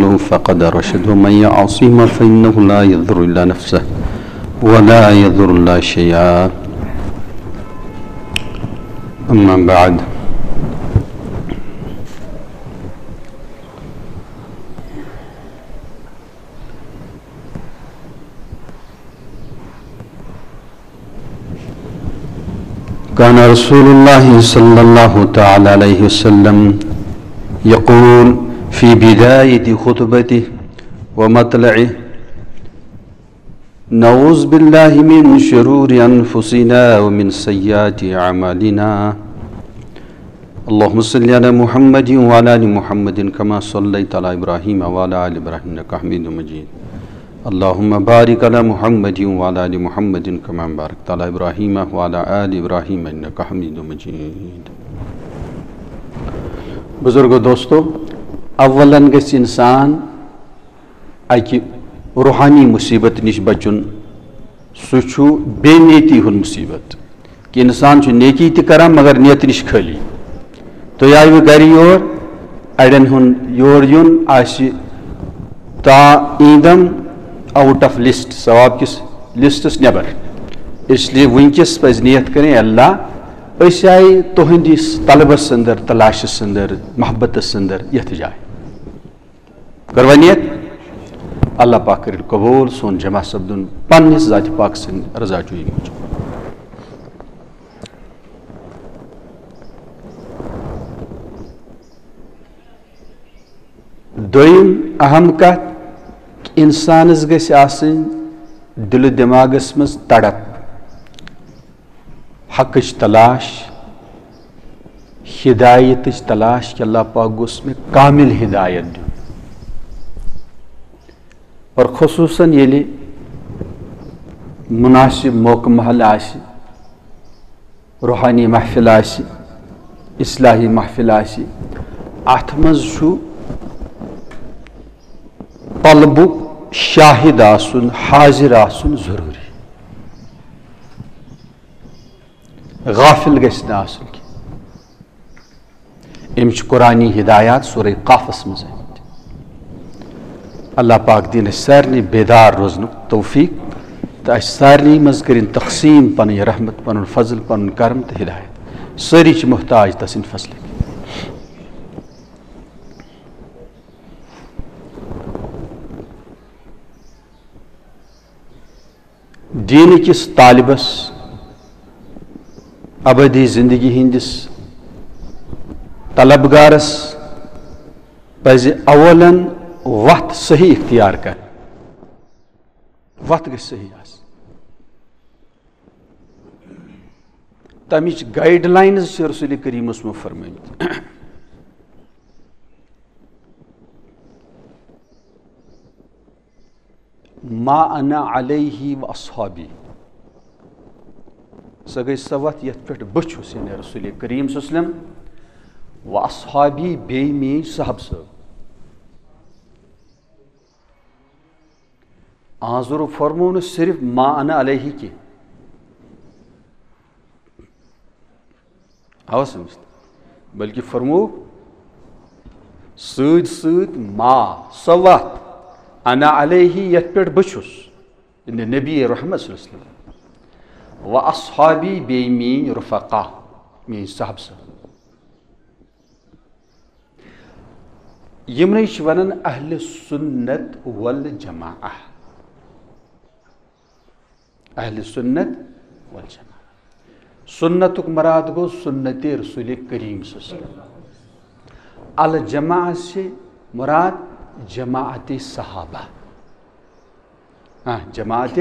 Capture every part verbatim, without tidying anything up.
فقد رشد، ومن يعصهما فإنه لا يضر إلا نفسه ولا يضر الله شيئا. أما بعد. كان رسول الله صلى الله تعالى عليه وسلم يقول في بداية خطبته ومطلعه: نعوذ بالله من شرور أنفسنا ومن سيئات أعمالنا. اللهم صل على محمد وعلى آل محمد كما صليت على إبراهيم وعلى آل إبراهيم إنك حميد مجيد. اللهم بارك على محمد وعلى آل محمد كما باركت على إبراهيم وعلى آل إبراهيم إنك حميد مجيد. بزرگو دوستو، اولاً گژھِ انسان اکہِ روحانی مصیبت نِش بچُن۔ سُہ چھُ بے نیتی ہُنٛد مصیبت، کہِ انسان چھُ نیکی تہِ کران مگر نیت نِش خٲلی۔ تُہۍ آیوٕ گرِ یور، اڑٮ۪ن ہُنٛد یور یُن آسہِ تا ایندم آؤٹ آف لسٹ، ثواب کِس لسٹس نٮ۪بر۔ اس لیے وٕنکیٚس پزِ نیت کرٕنۍ، اللہ، أسۍ آیہِ تُہنٛدِس طلبس اندر، تلاشس اندر، محبتس اندر، یتھ جایہِ۔ کٔروا نیت؟ اللہ پاک کٔرِن قبول سون جمع سپدُن پننِس ذاتِ پاک سٕنٛدِ رضا جویی موٗجوٗب۔ دوٚیِم اہم کتھ، انسانس گژھِ آسٕنۍ دِلہٕ دٮ۪ماغس منٛز تڑپ، حقٕچ تلاش، ہدایتٕچ تلاش، کہِ اللہ پاک گوٚژھ مےٚ کامل ہدایت دیُن۔ اور خصوصاً ییٚلہِ مناسب موقعہٕ محل آسہِ، روحانی محفل آسہِ، اصلاحی محفل آسہِ، اتھ منٛز چھُ طلبُک شاہد آسُن، حاضر آسُن ضروٗری۔ غافل گژھِ نہٕ آسُن کینٛہہ۔ أمۍ چھِ قرآنی ہدایات سورہ قافس منٛز آمٕتۍ۔ اللہ پاک دِیِن اَسہِ سارنٕے بیدار روزنُک توفیق تہٕ اَسہِ سارنٕے منٛز کٔرِن تقسیٖم پنٕنۍ رحمت، پنُن فضل، پنُن کرم تہٕ ہدایت۔ سٲری چھِ محتاج تسٕنٛدِ فضلٕکۍ۔ دیٖنہٕ کِس طالبس، ابدی زندگی ہٕنٛدِس طلبگارس پزِ اولن وتھ صحیح اختیار کرٕنۍ۔ وتھ گژھِ صحیح آسٕنۍ۔ تمِچ گائیڈ لائنز چھِ رسول کریمس منٛز فرمٲمٕتۍ۔ ما انا علیہ و اصحابی۔ سۄ گٔے سۄ وتھ یتھ پٮ۪ٹھ بہٕ چھُس، یعنی رسول کریم صلی اللہ علیہ وسلم، و اصحابی، بیٚیہِ میٲنۍ صحابہٕ صٲب۔ آزُر فرموو نہٕ صرف ما انا علیہ کینٛہہ۔ آوا سمجھ؟ بلکہ فرموو سۭتۍ سۭتۍ ما، سۄ وتھ، انا علیہ، یتھ پٮ۪ٹھ بہٕ چھُس، یعنی نبی رحمت صلی اللہ علیہ وسلم، و اصحابی، بیٚیہِ میٲنۍ رفقا، میٲنۍ صحابہٕ صٲب۔ یِمنٕے چھِ وَنان اہل سنت والجماعہ۔ اہل سنت والجماعہ۔ سنتُک مراد گوٚو سنت رسول کریم صلی اللہ علیہ وسلم۔ الجماعہ سے مراد جماعت صحابہ۔ ہاں، جماعت۔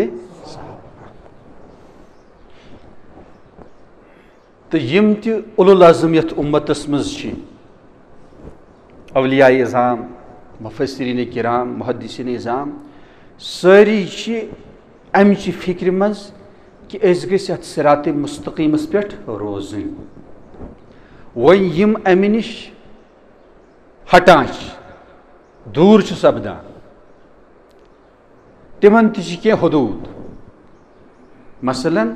تہٕ یِم تہِ اولو العزم یَتھ اُمتَس منٛز چھِ، اولیاء عظام، مفسرین کرام، محدثین عظام، سٲری چھِ اَمہِ چہِ فِکرِ منٛز کہِ أسۍ گٔژھۍ اَتھ صراط مستقیٖمَس پٮ۪ٹھ روزٕنۍ۔ وۄنۍ یِم اَمہِ نِش ہٹان چھِ، دوٗر چھِ سپدان، تِمن تہِ چھِ کینٛہہ حدوٗد۔ مثلاً،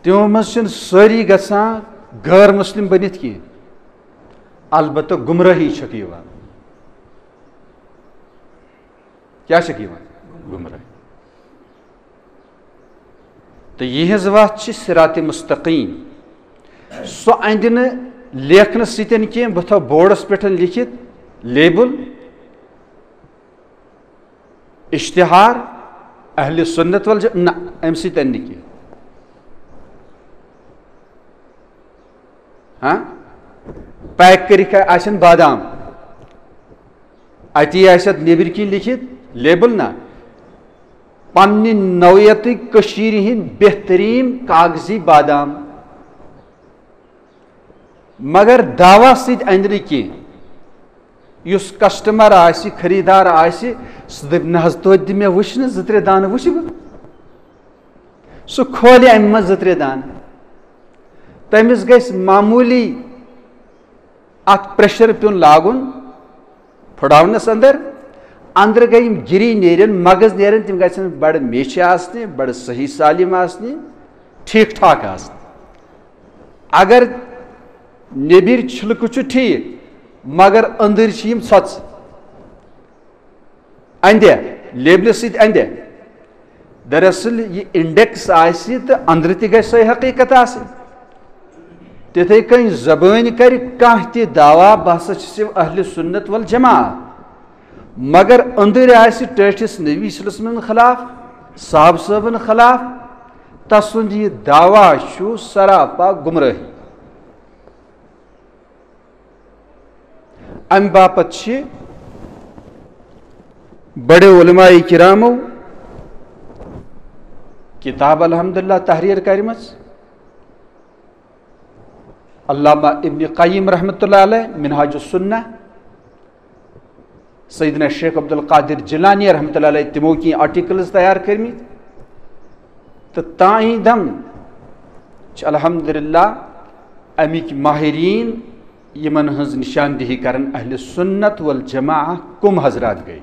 تِمو منٛز چھِنہٕ سٲری گژھان غٲر مسلم بٔنِتھ کینٛہہ، البتہ گمرٲہی چھکھ یِوان۔ کیٛاہ چھکھ یِوان؟ گمراہی۔ تہٕ یِہنٛز وَتھ چھِ صراط مستقیم۔ سُہ اَندِ نہٕ لیکھنہٕ سۭتۍ کینٛہہ، بہٕ تھاوٕ بورڈس پٮ۪ٹھ لیکھِتھ لیبل، اشتہار، اہل سنت والجماعت، نہ، اَمہِ سۭتۍ اَندِ نہٕ کینٛہہ۔ ہاں؟ پیک کٔرِتھ آسن بادام، اَتی آسہِ اَتھ نیٚبٕرۍ کِنۍ لیکھِتھ لیبل نہ، پننہِ نوعیتٕکۍ کٔشیٖرِ ہِنٛدۍ بہتریٖن کاغذی بادام۔ مگر دعویٰ سۭتۍ اَندِ نہٕ کینٛہہ۔ یُس کسٹمر آسہِ، خریٖدار آسہِ، سُہ دَپہِ، "نہ حظ، توتہِ دِ مےٚ وٕچھنہٕ، زٕ ترٛےٚ دانہٕ وٕچھِ بہٕ۔" سُہ کھولہِ اَمہِ منٛز زٕ ترٛےٚ دانہٕ۔ تٔمِس گژھِ معموٗلی اَتھ پریشر پیوٚن لاگُن پھٕڑاونَس اندر۔ اندرٕ گٔے یِم گِری نیرن، مغز نیرن، تِم گژھن بڑٕ میچھِ آسنہِ، بڑٕ صحیح سالم آسنہِ، ٹھیٖک ٹھاک آسنہِ۔ اگر نیٚبِرۍ چھِلکہٕ چھُ ٹھیٖک، مگر أنٛدٕرۍ چھِ یِم ژھۄژٕ۔ اندے، لیبلہِ سۭتۍ اندے۔ دراصل یہِ انڈیکس آسہِ تہٕ اندرٕ تہِ گژھِ سۄے حقیقت آسٕنۍ۔ تِتھے کٔنۍ زبٲنۍ کرِ کانٛہہ تہِ دعویٰ، "بہٕ ہسا چھُس اہل سنت والجماعت"، مگر أنٛدٕرۍ آسہِ ٹٲٹھِس نبی صلی اللہ علیہ وسلمن خلاف، صحابہٕ صٲبن خلاف، تسُنٛد یہِ دعویٰ چھُ سراپا گمراہی۔ امہِ باپتھ چھِ بڑیو علماء کرامو کتاب الحمدللہ تحریر کرمژ۔ علامہ ابن قیم رحمۃ اللہ علیہ منہاج السنہ، سیدنا شیخ عبد القادر جیلانی رحمۃ اللہ علیہ، تِمو کینٛہہ آرٹیکلز تیار کٔرمٕتۍ۔ تہٕ تاہیٖدم چھِ الحمدللہ اَمِکۍ ماہریٖن، یِمن ہٕنٛز نشاندہی کرن اہل سنت والجماعہ کم حضرات گٔے۔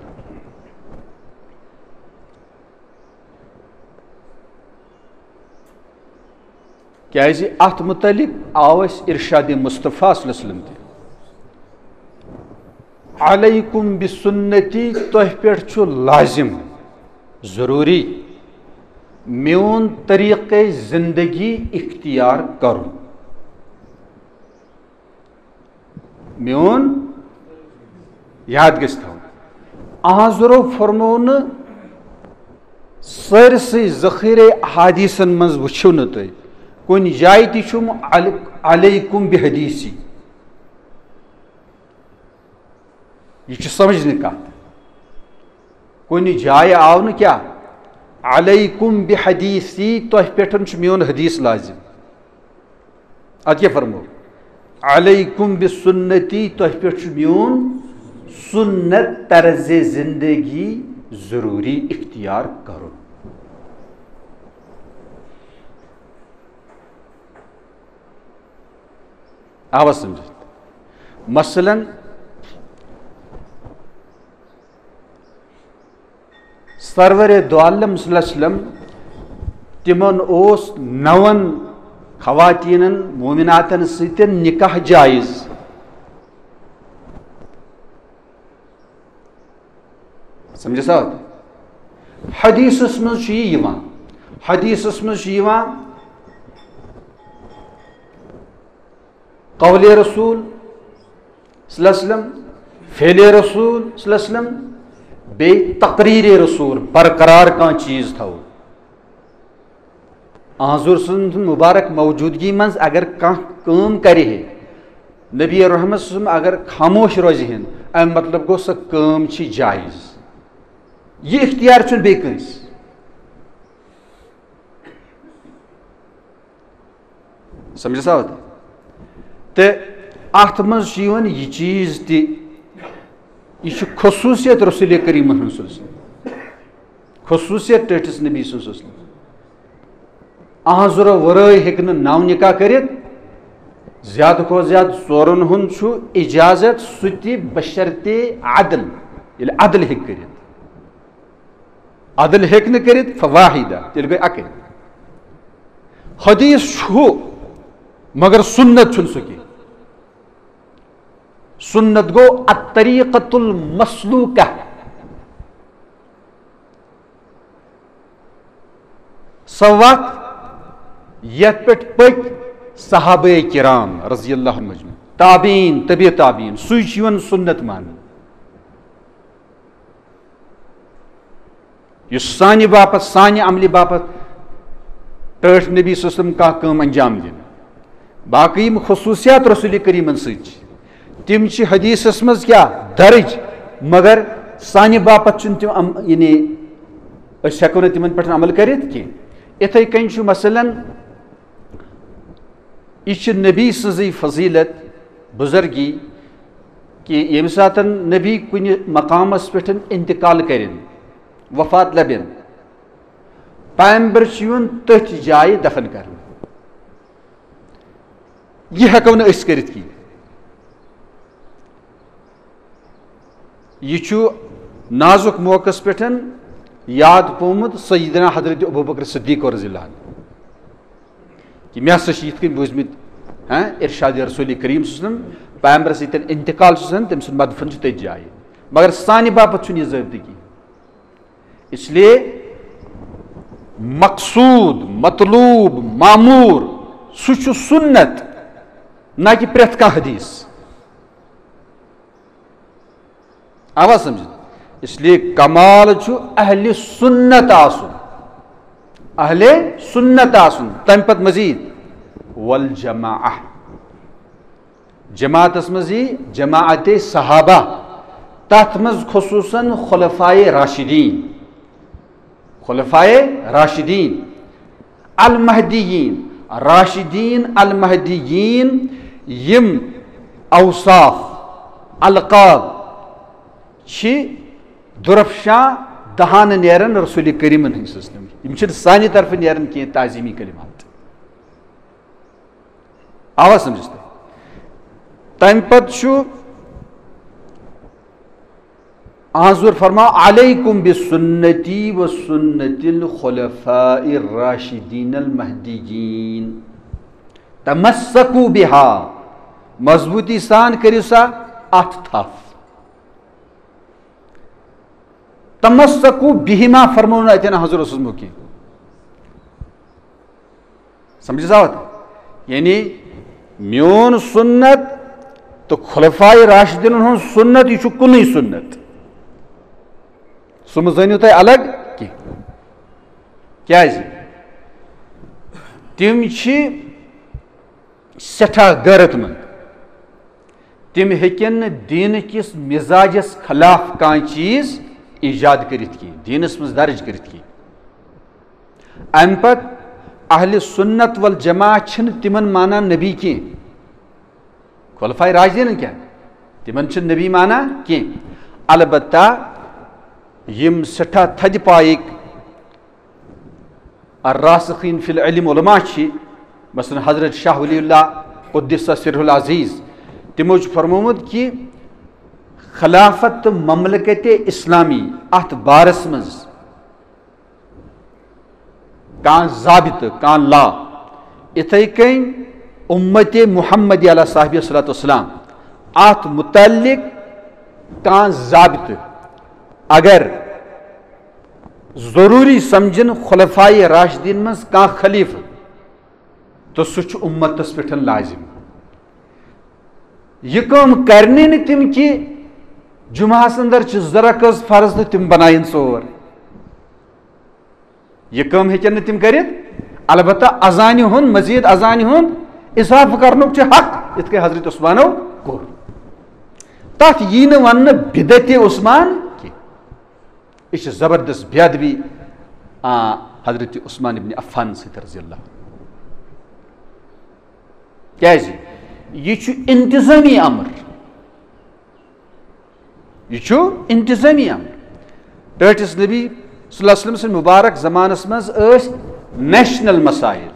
کیازِ اتھ متعلق آو اسہِ ارشاد مصطفیٰ صلی اللہ علیہ وسلم تہِ، "علیکم بسنتی"، تۄہہِ پٮ۪ٹھ چھُ لازم، ضروٗری، میون طریقے زندگی اختیار کرُن۔ میون یاد گژھِ تھاوُن۔ احضرو فرموو نہٕ سٲرسٕے ذخیرے احادیثن منٛز وٕچھِو نہٕ تُہۍ کُنہِ جایہِ تہِ چھُم عل-، علیکم بحدیثی۔ یہِ چھُ سمجھنہٕ کتھ۔ کُنہِ جایہِ آو نہٕ کیٛاہ؟ علیکم بحدیثی، تۄہہِ پٮ۪ٹھ چھُ میون حدیث لازم۔ اتھ کیٛاہ فرمو؟ علیکم بسنتی، تۄہہِ پٮ۪ٹھ چھُ میون سنت طرز زندگی ضروٗری اختیار کرُن۔ آوا سمجھِتھ؟ مثلاً، سرور دو عالم صلی اللہ علیہ وسلم، تِمن اوس نون خواتینن مومناتن سۭتۍ نکاح جائز۔ سمجھِ سا؟ حدیثس منٛز چھُ یہِ یِوان، حدیثس منٛز چھُ یِوان، قول رسول صلی اللہ علیہ وسلم، فعل رسول صلی اللہ علیہ وسلم، بیٚیہِ تقریر رسول، برقرار کانٛہہ چیٖز تھاوو۔ حضور سٕنٛز مبارک موجودگی منٛز اگر کانٛہہ کٲم کرِ ہے، نبی رحمت صلی اللہ علیہ وسلم اگر خاموش روزِ ہن، اَمہِ مطلب گوٚو سۄ کٲم چھِ جائز۔ یہِ اختیار چھُنہٕ بیٚیہِ کٲنٛسہِ۔ سمجھِ سا ہوت؟ تہٕ اتھ منٛز چھُ یِوان یہِ چیٖز تہِ، یہِ چھُ خصوٗصیت رسول کریٖمن ہٕنٛز صلی اللہ علیہ وسلم، خصوٗصیت ٹٲٹھِس نبی سٕنٛز صلی اللہ علیہ وسلم۔ اہنٛز ضروٗرت ورٲے ہیٚکہِ نہٕ نو نکاح کٔرِتھ، زیادٕ کھۄتہٕ زیادٕ ژورن ہُنٛد چھُ اجازت، سُہ تہِ بشرطِ عدل، ییٚلہِ عدل ہیٚکہِ کٔرِتھ۔ عدل ہیٚکہِ نہٕ کٔرِتھ، فواحدہ، تیٚلہِ گٔے اَکٕے۔ حدیث چھُ، مگر سنت چھُنہٕ سُہ کینٛہہ۔ سنت گوٚو الطریقۃ المسلوکہ۔ سۄ وتھ یتھ پٮ۪ٹھ پٔکۍ صحابہ کرام رضی اللہ عنہم اجمعین، تابعین، طبی تابعین، سُے چھُ یِوان سنت ماننہٕ۔ یُس سانہِ باپتھ، سانہِ عملہِ باپتھ ٹٲٹھۍ نبی صلی اللہ علیہ وسلم کانٛہہ کٲم انجام دِنہٕ۔ باقٕے یِم خصوٗصیات رسول کریٖمن سۭتۍ چھِ، تِم چھِ حدیثس منٛز کیٛاہ درج، مگر سانہِ باپتھ چھُنہٕ تِم عم-، یعنی أسۍ ہٮ۪کو نہٕ تِمن پٮ۪ٹھ عمل کٔرِتھ کینٛہہ۔ یِتھے کٔنۍ چھُ مثلاً، یہِ چھِ نبی سٕنٛزٕے فضیلت، بزرگی، کہِ ییٚمہِ ساتَن نبی کُنہِ مقامس پٮ۪ٹھ انتقال کٔرِن، وفات لبن، پیغمبر چھُ یِوان تٔتھۍ جایہِ دفن کرنہٕ۔ یہِ ہٮ۪کو نہٕ أسۍ کٔرِتھ کینٛہہ۔ یہِ چھُ نازُک موقعس پٮ۪ٹھ یاد پیومُت سیدنا حضرت ابوبکر صدیق رضی اللہ عنہ، کہِ مےٚ ہسا چھِ یِتھ کٔنۍ بوٗزمٕتۍ، ہاں، ارشاد رسول کریم صلی اللہ علیہ وسلم، پیغمبرس ییٚتٮ۪ن انتقال چھُ گژھان، تٔمۍ سُنٛد مدفن چھُ تٔتھۍ جایہِ، مگر سانہِ باپتھ چھُنہٕ یہِ ضٲبطہٕ کینٛہہ۔ اس لیے مقصود، مطلوب، معمور، سُہ چھُ سنت، نہ کہِ پرٛٮ۪تھ کانٛہہ حدیث۔ آوا سمجھ؟ اس لیے کمال چھُ اہل سنت آسُن، اہل سنت آسُن، تمہِ پتہٕ مزید والجماعہ۔ جماعتس منٛز یی جماعت صحابہ، تتھ منٛز خصوصاً خلفائے راشدین، خلفائے راشدین، المہدیین، راشدین المہدیین، یِم اوصاف، القاب چھِ درفشاں دہان نیران رسول کریمن ہٕنٛدۍ سٕنٛدۍ۔ یِم چھِنہٕ سانہِ طرفہٕ نیران کینٛہہ تعظیمی کلمات۔ آوا سمجھس تۄہہِ؟ تمہِ پتہٕ چھُ حضور فرماو، علیکم بسنتی و سنت الخلفاء الراشدین المہدیین، تمسکوا بہا، مضبوٗطی سان کٔرِو سا اتھ تھپھ۔ تمسکوا بہما فرموو نہٕ اتٮ۪ن حضور اوسُس مُکہِ۔ سمجھس آوت؟ یعنی میون سنت تہٕ خلفائے راشدینن ہُنٛد سنت، یہِ چھُ کُنُے سنت۔ سُہ مہٕ زٲنِو تُہۍ الگ کینٛہہ۔ کیازِ؟ تِم چھِ سٮ۪ٹھاہ غیرت مند۔ تِم ہیٚکن نہٕ دیٖنہٕ کِس مزاجس خلاف کانٛہہ چیٖز ایجاد کٔرِتھ کینٛہہ، دیٖنس منٛز درج کٔرِتھ کینٛہہ۔ امہِ پتہٕ اہل سنت والجماعہ چھِنہٕ تِمن مانان نبی کینٛہہ۔ خلفائے راشدینن کیٛاہ؟ تِمن چھِنہٕ نبی مانان کینٛہہ۔ البتہ یِم سٮ۪ٹھاہ تھدِ پایِکۍ الراسخین فی العلم علماء چھِ، مثلاً حضرت شاہ ولی اللہ قدس سرہ العزیز، تِمو چھُ فرمومُت کہِ خلافت تہٕ مملکت اسلامی اتھ بارس منٛز کانٛہہ ضابطہٕ، کانٛہہ لا، اِتھَے کٔنۍ اُمتِ محمدی علیہ صاحبِ الصلوۃ والسلام، اَتھ مُتعلِق کانٛہہ ضابطہٕ اگر ضروٗری سمجھن خلفائے راشدین منٛز کانٛہہ خلیفہٕ، تہٕ سُہ چھُ اُمتس پٮ۪ٹھ لازم۔ یہِ کٲم کرنی نہٕ تِم کہِ جمعہس اندر چھِ زٕ رکٲژ فرض تہٕ تِم بناین ژور۔ یہِ کٲم ہیٚکن نہٕ تِم کٔرِتھ، البتہ اذانہِ ہُنٛد، مزید اذانہِ ہُنٛد اضافہٕ کرنُک چھُ حق، یِتھ کٔنۍ حضرت عثمانو کوٚر۔ تتھ یی نہٕ وننہٕ بدعتِ عثمان کینٛہہ۔ یہِ چھِ زبردست بے ادبی، آ، حضرت عثمان ابن عفان سۭتۍ رضی اللہ عنہ۔ کیازِ؟ یہِ چھُ انتظامی امر۔ یہِ چھُ انتظامی امر۔ ٹٲٹھِس نبی صلی اللہ علیہ وسلم سٕنٛدِ مبارک زمانس منٛز ٲسۍ نیشنل مسائل،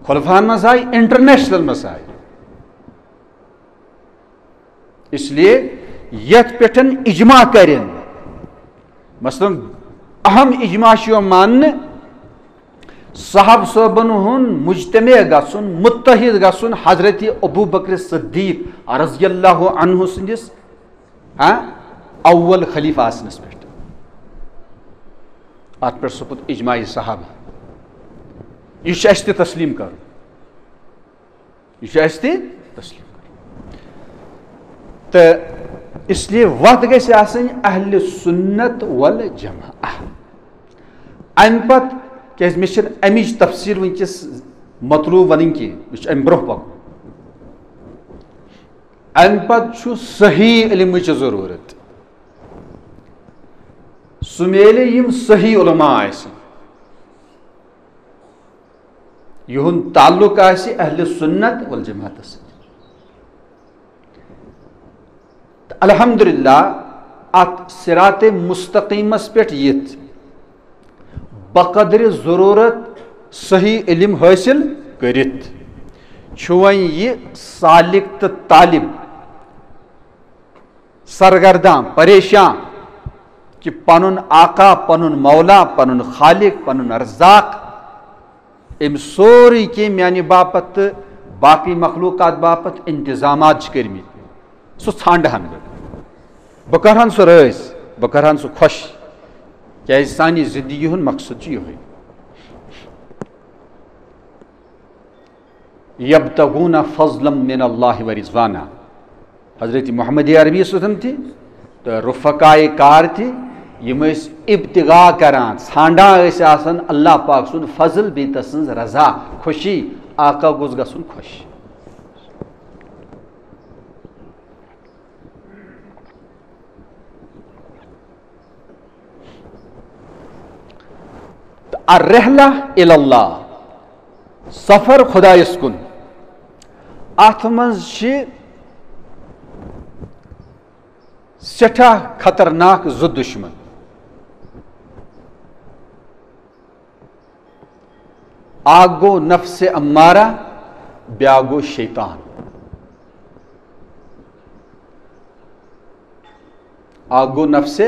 خلفاہن منٛز آیہِ انٹرنیشنل مسائل۔ اس لیے یتھ پٮ۪ٹھ اجماع کرن، مثلاً اہم اجماع چھُ یِوان ماننہٕ، صحابہ صٲبن ہُنٛد مجتمع گژھُن، متحد گژھُن حضرت ابو بکر صدیق رضی اللہ عنہ سٕنٛدِس، ہاں، اول خلیفہ آسنس پٮ۪ٹھ۔ اتھ پٮ۪ٹھ سپُد اجماع صحابہ۔ یہِ چھُ اَسہِ تہِ تسلیٖم کَرُن۔ یہِ چھُ اَسہِ تہِ تسلیٖم کَرُن۔ تہٕ اس لیے وَتھ گژھِ آسٕنۍ اہل سنت والجماعہ۔ اَمہِ پَتہٕ، کیٛازِ مےٚ چھِنہٕ اَمِچ تفصیٖل وٕنکیٚس مطلوب وَنٕنۍ کینٛہہ، مےٚ چھُ اَمہِ برونٛہہ پَکُن۔ اَمہِ پَتہٕ چھُ صحیح علمٕچ ضروٗرت۔ سُہ میلہِ یِم صحیح علماء آسن، یِہُنٛد تعلق آسہِ اہل سنت والجماعتس سۭتۍ۔ تہٕ الحمدللہ، اتھ صراط مستقیمس پٮ۪ٹھ یِتھ، بقدر ضرورت صحیح علم حٲصِل کٔرِتھ، چھُ وۄنۍ یہِ سالک تہٕ طالب سرگردان، پریشان کہ پنُن آقا، پنُن مولا، پنُن خالق، پنُن رزاق، أمۍ سورُے کینٛہہ میانہِ باپتھ تہٕ باقٕے مخلوقات باپتھ انتظامات چھِ کٔرمٕتۍ، سُہ ژھانڈہن بہٕ۔ بہٕ کرہن سُہ رٲضۍ، بہٕ کرہن سُہ خۄش، کیازِ سانہِ زندگی ہُنٛد مقصد چھُ یِہوٚے۔ یبتغون فضلا من اللہ ورضوانا۔ حضرت محمد عربی صٲب تہِ تہٕ رفقائے کار تہِ، یِم ٲسۍ ابتغاء کران، ژھانڈان ٲسۍ آسان اللہ پاک سُنٛد فضل بیٚیہِ تسٕنٛز رضا، خوشی، آقا گوٚژھ گژھُن خۄش۔ تہٕ الرحلہ الی اللہ، سفر خدایس کُن، اتھ منٛز چھِ سٮ۪ٹھاہ خطرناک زٕ دُشمن۔ اکھ گوٚو نفس امارہ، بیاکھ گوٚو شیطان۔ اکھ گوٚو نفس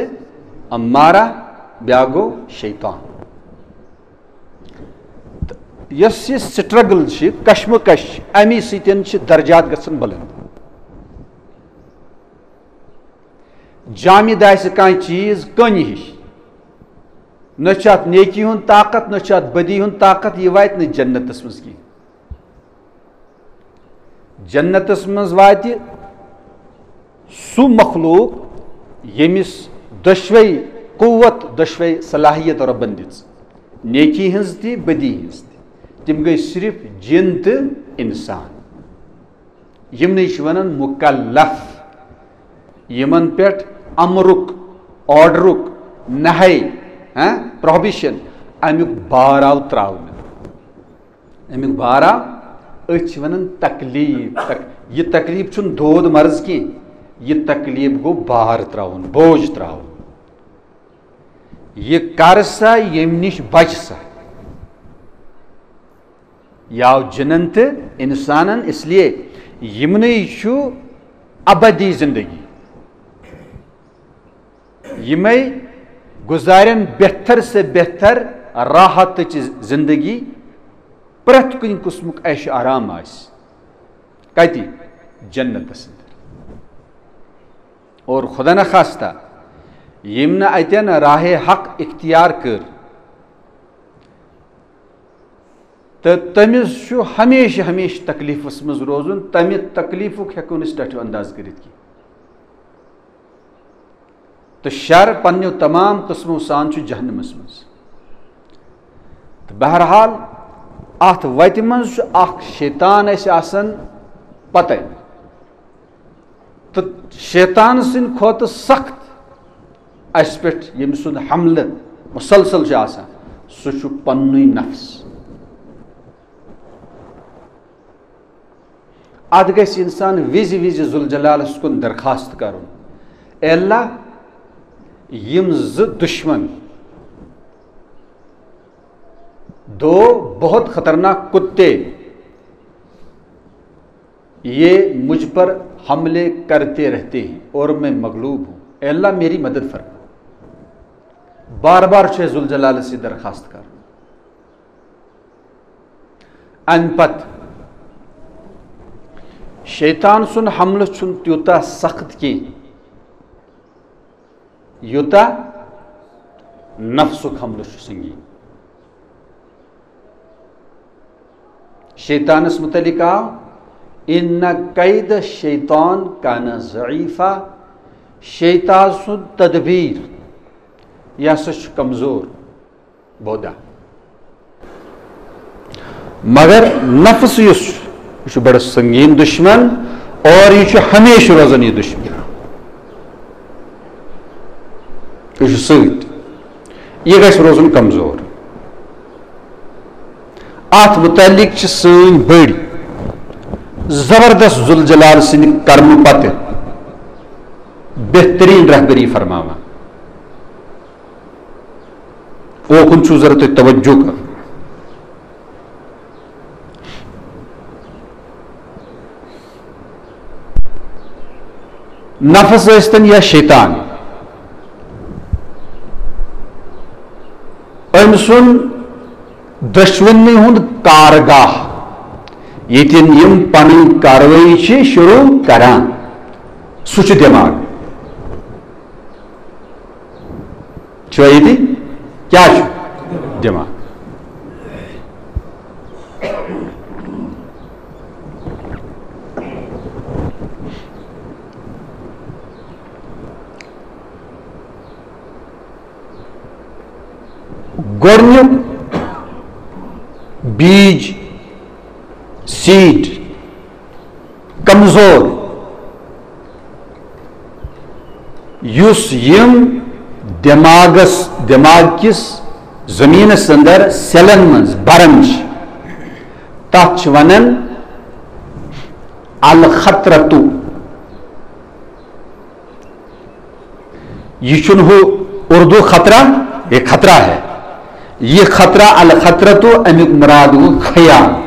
امارہ، بیاکھ گوٚو شیطان۔ تہٕ یۄس یہِ struggle چھِ، کشمکش، امی سۭتۍ چھِ درجات گژھان بلند۔ جامد آسہِ کانٛہہ چیٖز کٔنۍ ہِش، نہ چھُ اتھ نیکی ہُنٛد طاقت، نہ چھُ اتھ بدی ہُنٛد طاقت، یہِ واتہِ نہٕ جنتس منٛز کینٛہہ۔ جنتس منٛز واتہِ سُہ مخلوق، ییٚمِس دۄشوے قوت، دۄشوے صلاحیت رۄبن دِژ، نیکی ہٕنٛز تہِ، بدی ہٕنٛز تہِ۔ تِم گٔے صرف جِن تہٕ انسان۔ یِمنٕے چھِ وَنان مُکَلَّف، یِمَن پٮ۪ٹھ اَمرُک، آرڈرُک، نہی، ہاں، پروہبِشن، اَمیُک بار آو ترٛاونہٕ۔ اَمیُک بار آو، أتھۍ چھِ وَنان تکلیٖف۔ تک-، یہِ تکلیٖف چھُنہٕ دود مرض کینٛہہ، یہِ تکلیٖف گوٚو بار ترٛاوُن، بوج ترٛاوُن۔ یہِ کر سا، ییٚمہِ نِش بچ سا۔ یہِ آو جِنن تہٕ اِنسانن، اس لیے یِمنٕے چھُ ابدی زندگی۔ یِمے گُزارن بہتر سے بہتر راحتٕچ زندگی، پرٛٮ۪تھ کُنہِ قٕسمُک عیش آرام آسہِ۔ کتہِ؟ جنتس اندر۔ اور خدا نخواستہ، یِم نہٕ اتٮ۪ن راہِ حق اختیار کٔر، تہٕ تٔمِس چھُ ہمیشہِ ہمیشہِ تکلیٖفس منٛز روزُن، تمہِ تکلیٖفُک ہٮ۪کو نہٕ أسۍ ٹٹھیو انداز کٔرِتھ کینٛہہ۔ تہٕ شر پننیو تمام قٕسمو سان چھُ جہنمس منٛز۔ تہٕ بہرحال، اتھ وتہِ منٛز چھُ اکھ شیطان اسہِ آسان پتے۔ تہٕ شیطان سٕنٛدِ کھۄتہٕ سخت اسہِ پٮ۪ٹھ ییٚمہِ سُنٛد حملہٕ مسلسل چھُ آسان، سُہ چھُ پننُے نفس۔ اتھ گژھِ انسان وِزِ وِزِ ذوالجلالس کُن درخواست کرُن، "اے اللہ، یِم زٕ دشمن، دو بہت خطرناک کتے، یہ مجھ پر حملے کرتے رہتے ہیں اور میں مغلوب ہوں، اے اللہ، میری مدد فرما۔" بار بار چھُ ذوالجلالس یہِ درخواست کرُن۔ امہِ پتہٕ شیطان سُنٛد حملہٕ چھُنہٕ تیوٗتاہ سخت کینٛہہ، یوٗتاہ نفسُک حملہٕ چھُ سنگین۔ شیطانس متعلق آو، "ان کید شیطان کان ضعیفا"، شیطان سُنٛد تدبیر، یہِ ہسا چھُ کمزور، بودا۔ مگر نفس یُس چھُ، یہِ چھُ بڑٕ سنگین دشمن، اور یہِ چھُ ہمیشہِ روزان یہِ دشمن۔ یہِ چھُ سۭتۍ۔ یہِ گژھِ روزُن کمزور۔ اتھ متعلق چھِ سٲنۍ بٔڑۍ زبردست ذوالجلال سٕنٛدِ کرمہٕ پتہٕ بہترین رہبری فرماوان۔ اوکُن چھُو ضروٗرت تۄہہِ توجہ کرُن۔ نفس ٲسۍتن یا شیطان، أمۍ سُنٛد دۄشوٕنی ہُنٛد کارگاہ، ییٚتٮ۪ن یِم پنٕنۍ کاروٲیی چھِ شروع کران، سُہ چھُ دٮ۪ماغ۔ چھُوا ییٚتی؟ کیٛاہ چھُ؟ دٮ۪ماغ۔ گۄڈٕنیُک بیج، سیٖڈ، کمزور، یُس یِم دٮ۪ماغس، دٮ۪ماغ کِس زٔمیٖنس اندر سیلن منٛز بران چھِ، تتھ چھِ ونان الخطرتو۔ یہ چھُنہٕ ہُہ اردو خطرہ، یہ خطرہ ہے۔ یہ خطرہ، الخطرتو، امیُک مراد گوٚو خیال،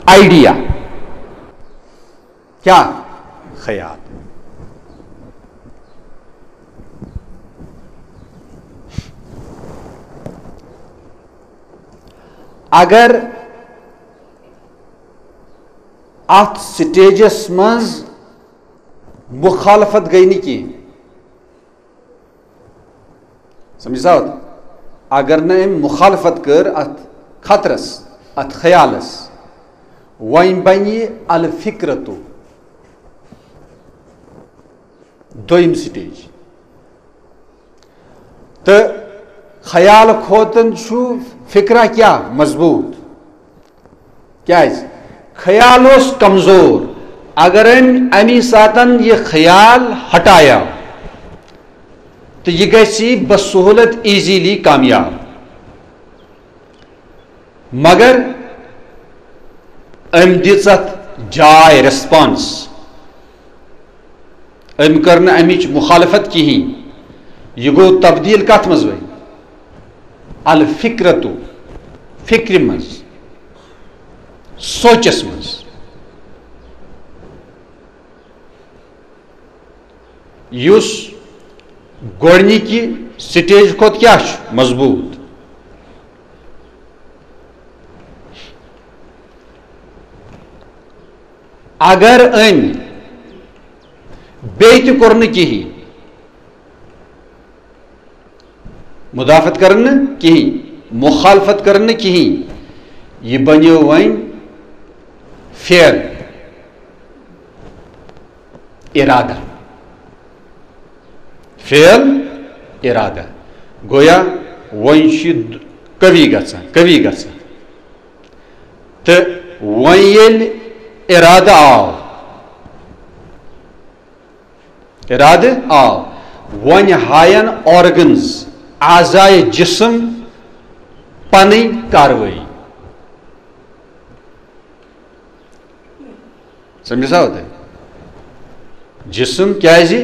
آئیڈیا۔ کیا؟ خیال۔ اگر اتھ سٹیجس منٛز مخالفت گٔے نہٕ کینٛہہ، سمجھ سا؟ اگر نہٕ أمۍ مخالفت کٔر اتھ خطرس، اتھ خیالس، وۄنۍ بنہِ یہِ الفکرتو۔ دوٚیِم سٹیج۔ تہٕ خیال کھوتن چھُ فکرہ کیٛاہ مضبوط؟ کیٛازِ؟ خیال اوس کمزور۔ اگر أمۍ امی ساتن یہِ خیال ہٹایا، تہٕ یہِ گژھِ بسہولت، ایزیلی کامیاب۔ مگر أمۍ دِژ اَتھ جاے، ریسپانس۔ أمۍ کٔر نہٕ اَمِچ مخالفت کِہیٖنۍ۔ یہِ گوٚو تبدیٖل کَتھ منٛز وۄنۍ؟ الفکرتو، فکرِ منٛز، سونچس منٛز۔ یُس گۄڈنِکہِ سٹیج کھۄتہٕ کیٛاہ چھُ مضبوٗط؟ اگر أمۍ بیٚیہِ تہِ کوٚر نہٕ کِہیٖنۍ، مدافعت کٔر نہٕ کِہیٖنۍ، مخالفت کٔر نہٕ کِہیٖنۍ، یہِ بنیو وۄنۍ فعل، ارادہ۔ فعل، ارادہ۔ گویا وۄنۍ چھُ قوی گژھان، قوی گژھان۔ تہٕ وۄنۍ ییٚلہِ ارادٕ آو، ارادٕ آو، وۄنۍ ہاین آرگنز، اعضائے جسم، پنٕنۍ کاروٲیی۔ سمجھ سا ہوتا ہے؟ جسم کیازِ؟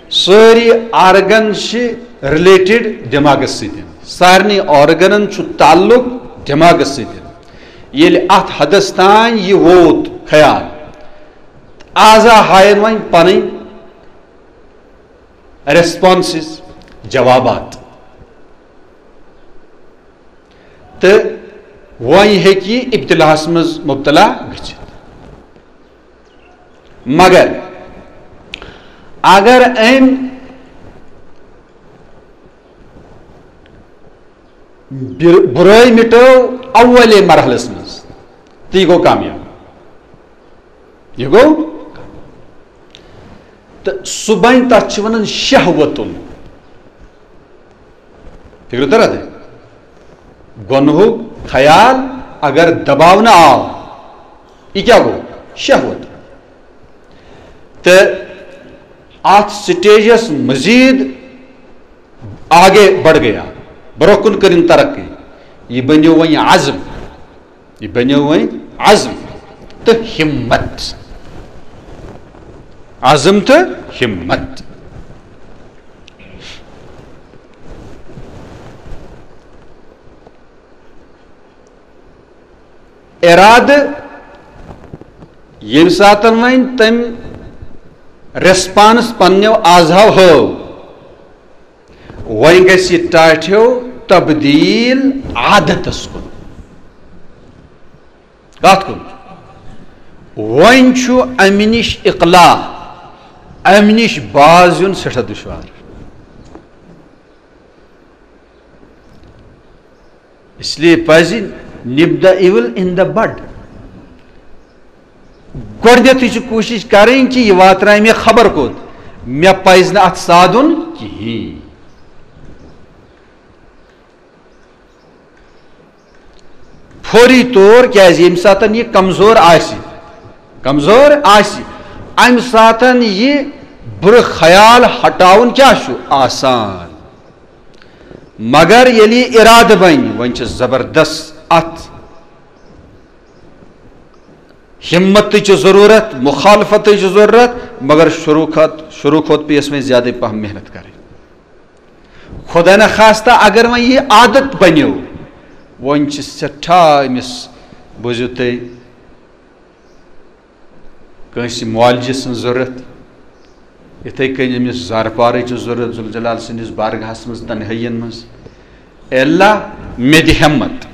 سٲری آرگن چھِ ریلیٹڈ دٮ۪ماغس سۭتۍ۔ سارنٕے آرگنن چھُ تعلق دٮ۪ماغس سۭتۍ۔ ییٚلہِ اتھ حدس تام یہِ ووت خیال، اعضا ہاین وۄنۍ پنٕنۍ ریسپانسز، جوابات۔ تہٕ وۄنۍ ہیٚکہِ یہِ ابتلاہس منٛز مبتلا گٔژھِتھ۔ مگر اگر أمۍ بر-، برٲے مٹٲو اولے مرحلس منٛز، تہٕ یہِ گوٚو کامیاب۔ یہِ گوٚو۔ تہٕ سُہ بنہِ، تَتھ چھِ وَنان شہوتُن۔ فِکرِ تَران؟ گۄنہُک خیال اگر دباونہٕ آو، یہِ کیٛاہ گوٚو؟ شہوت۔ تہٕ اَتھ سٹیجَس مزید آگے بڑھ گیا، برونٛہہ کُن کٔرِن ترقی۔ یہِ بنیو وۄنۍ عزم، یہِ بنیو وۄنۍ عزم تہٕ ہمت۔ عزم تہٕ ہمت۔ ارادٕ، ییٚمہِ ساتہٕ وۄنۍ تٔمۍ ریسپانس پننیو اعضاو ہٲو، وۄنۍ گژھِ یہِ ٹاٹھیو تبدیل عادتس کُن۔ کتھ کُن؟ وۄنۍ چھُ امہِ نِش اقلاع، امہِ نِش باز یُن سٮ۪ٹھاہ دُشوار۔ اس لیے پزِ nip the evil in the bud۔ گۄڈنیتھٕے چھِ کوٗشِش کرٕنۍ کہِ یہِ واتنایہِ مےٚ خبر کوٚت، مےٚ پزِ نہٕ اتھ سادُن کِہیٖنۍ۔ فوری طور، کیازِ ییٚمہِ ساتہٕ یہِ کمزور آسہِ، کمزور آسہِ، امہِ ساتہٕ یہِ بُرٕ خیال ہٹاوُن کیٛاہ چھُ آسان؟ مگر ییٚلہِ یہِ ارادٕ بنہِ، وۄنۍ چھِ زبردست اتھ ہمتٕچ ضروٗرت، مخالفتٕچ ضروٗرت، مگر شروع کھۄتہٕ، شروع کھۄتہٕ پیٚیَس وۄنۍ زیادَے پہم محنت کرٕنۍ۔ خدا نخواستہ اگر وۄنۍ یہِ عادت بنیو، وۄنۍ چھِ سٮ۪ٹھاہ أمِس، بوٗزِو تُہۍ، کٲنٛسہِ معالجہِ سٕنٛز ضروٗرت، یِتھَے کٔنۍ أمِس زارپارٕچ ضروٗرت ذوالجلال سٕنٛدِس بارگاہَس منٛز، تنہٲیِین منٛز۔ اے اللہ، مےٚ دِ ہٮ۪مت،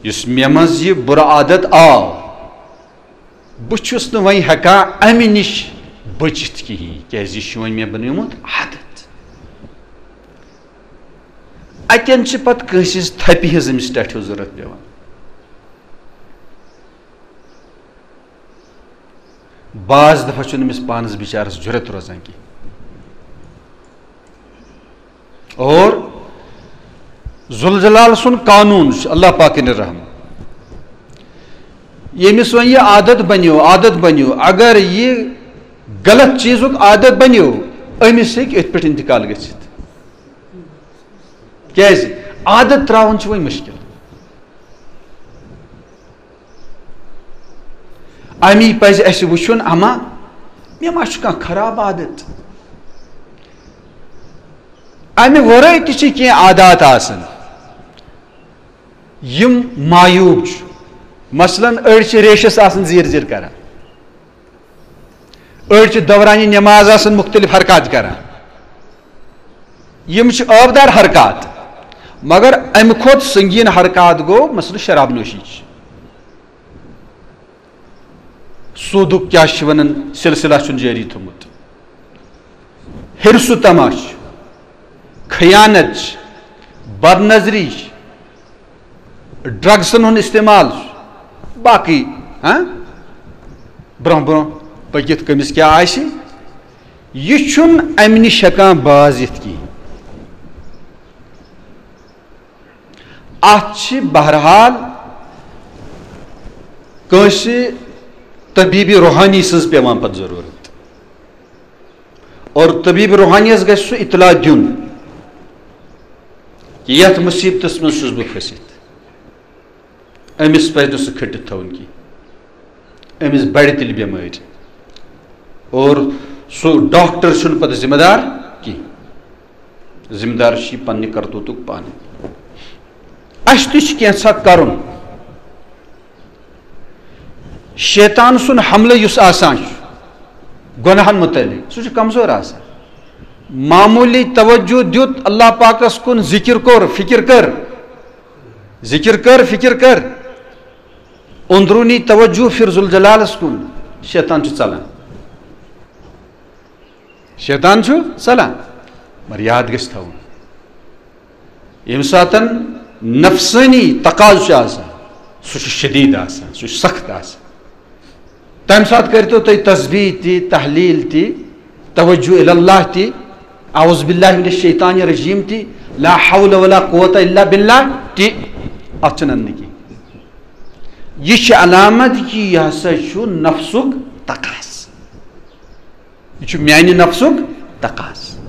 یُس مےٚ منٛز یہِ بُرٕ عادت آو، بہٕ چھُس نہٕ وۄنۍ ہٮ۪کان اَمہِ نِش بٔچِتھ کِہیٖنۍ، کیٛازِ یہِ چھُ وۄنۍ مےٚ بنیومُت عادت۔ اَتٮ۪ن چھِ پَتہٕ کٲنٛسہِ ہِنٛز تھپہِ ہِنٛز أمِس ٹاٹھیو ضروٗرت پٮ۪وان۔ بعض دفعہ چھُنہٕ أمِس پانَس بِچارَس جُرت روزان کینٛہہ۔ اور ذوالجلال سُنٛد قانوٗن چھُ، اللہ پاکٕنۍ رحم، ییٚمِس وۄنۍ یہِ عادت بنیو، عادت بنیو، اگر یہِ غلط چیٖزُک عادت بنیو، أمِس ہیٚکہِ أتھۍ پٮ۪ٹھ انتقال گٔژھِتھ۔ کیٛازِ؟ عادت ترٛاوُن چھُ وۄنۍ مُشکِل۔ اَمی پَزِ اَسہِ وٕچھُن، اما مےٚ ما چھُ کانٛہہ خراب عادت؟ اَمہِ ورٲے تہِ چھِ کینٛہہ عادات آسان، یِم معیوب چھِ۔ مثلاً، أڑۍ چھِ ریشَس آسان زیٖر زیٖر کران، أڑۍ چھِ دورانِ نماز آسان مُختٔلِف حرکات کران۔ یِم چھِ عٲبدار حرکات، مگر اَمہِ کھۄتہٕ سنگیٖن حرکات گوٚو، مثلاً، شراب نوشی چھِ۔ سودُک کیٛاہ چھِ وَنان، سلسلہ چھُن جٲری تھوٚمُت۔ حرص و طمع چھُ، خیانت چھِ، بد نظری چھِ، ڈرگسن ہُنٛد استعمال چھُ، باقٕے، ہاں، برونٛہہ برونٛہہ پٔکِتھ کٔمِس کیٛاہ آسہِ، یہِ چھُنہٕ اَمہِ نِش ہٮ۪کان باز یِتھ کِہیٖنۍ۔ اتھ چھِ بہرحال کٲنٛسہِ طبیٖبِ روحانی سٕنٛز پٮ۪وان پتہٕ ضروٗرت۔ اور طبیٖب روحانیَس گژھِ سُہ اطلاع دیُن کہِ یتھ مُصیبتس منٛز چھُس بہٕ پھٔسِتھ۔ أمِس پزِ نہٕ سُہ کھٔٹِتھ تھاوُن کینٛہہ۔ أمِس بڑِ تیٚلہِ بٮ۪مٲرۍ۔ اور سُہ ڈاکٹر چھُنہٕ پتہٕ ذمہٕ دار کینٛہہ۔ ذمہٕ دار چھُ یہِ پننہِ کرتوتُک پانہٕ۔ اَسہِ تہِ چھُ کینٛژھا کرُن۔ شیطان سُنٛد حملہٕ یُس آسان چھُ گۄناہن مُتعلق، سُہ چھُ کمزور آسان۔ معموٗلی توجہ دیُت اللہ پاکس کُن، ذکر کوٚر، فکر کٔر، ذکر کٔر، فکر کٔر، اندروٗنی توجہ پھِر ذوالجلالس کُن، شیطان چھُ ژلان۔ شیطان چھُ ژلان، مگر یاد گژھِ تھاوُن، ییٚمہِ ساتن نفسٲنی تقاضہٕ چھُ آسان، سُہ چھُ شدید آسان، سُہ چھُ سخت آسان۔ تَمہِ ساتہٕ کٔرۍتو تُہۍ تسبیح تہِ، تحلیل تہِ، توجہ الی اللہ تہِ، اعوذ باللہ من الشیطان الرجیم تہِ، لا حول ولا قوت الا باللہ تہِ۔ اَتھ چھُنہٕ اَندٕ کینٛہہ۔ یہِ چھِ علامت کہِ یہِ ہسا چھُ نفسُک تقاضہٕ۔ یہِ چھُ میانہِ نفسُک تقاضہٕ۔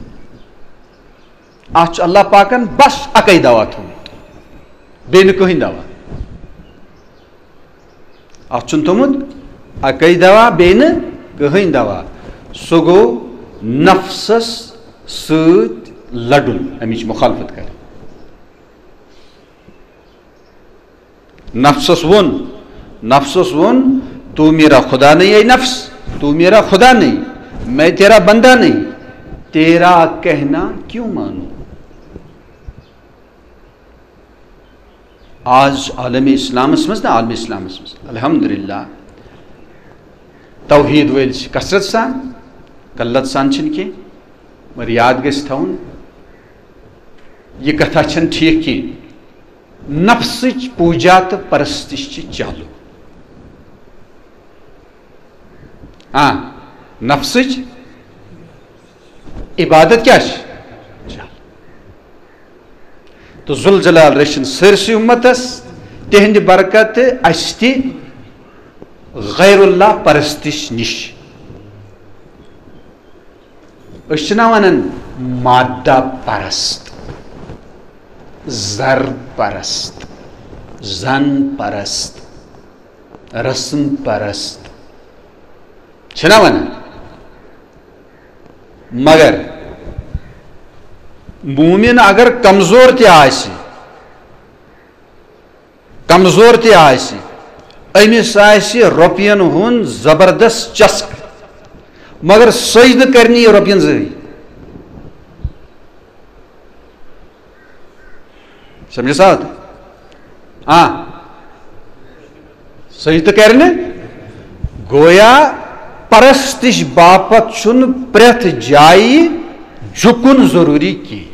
اَتھ چھُ اللہ پاکن بس اَکٕے دوا تھوٚومُت، بیٚیہِ نہٕ کٕہٕنۍ دوا۔ اَتھ چھُنہٕ تھوٚمُت اَکٕے دوا، بیٚیہِ نہٕ کٕہٕنۍ دوا۔ سُہ گوٚو نفسس سۭتۍ لڑُن، اَمِچ مخالفت کرٕنۍ۔ نفسس ووٚن، نفسس ووٚن، "تو میرا خدا نہیں، اے نفس، تو میرا خدا نہیں، میں تیرا بندہ نہیں، تیرا کہنا کیوں مانوں؟" آز چھُ عالم اسلامس منٛز، نہ عالم اسلامس منٛز، الحمدللہ، توحید وٲلۍ چھِ کثرت سان، قلت سان چھِنہٕ کینٛہہ، مگر یاد گژھِ تھاوُن، یہِ کتھا چھَنہٕ ٹھیٖک کینٛہہ۔ نفسٕچ پوٗجا تہٕ پرستش چھِ چالو۔ آ، نفسٕچ عبادت کیٛاہ چھِ؟ چالو۔ تہٕ ذوالجلال رٔچھِن سٲرسٕے اُمتس، تِہنٛدِ برکتہٕ اسہِ تہِ غیر اللہ پرستش نِش۔ أسۍ چھِنہ وَنان مادہ پرست، زر پرست، زن پرست، رسم پرست، چھِنہ وَنان؟ مگر مومن اگر کمزور تہِ آسہِ، کمزور تہِ آسہِ، أمِس آسہِ رۄپین ہُنٛد زبردست چسک، مگر سجدٕ کرِ نہٕ یہِ رۄپین ذٔریعہٕ۔ سمجھِ سا؟ آ، سجدٕ کرِ نہٕ۔ گویا پرستش باپتھ چھُنہٕ پرٛٮ۪تھ جایہِ جُکُن ضروٗری کینٛہہ۔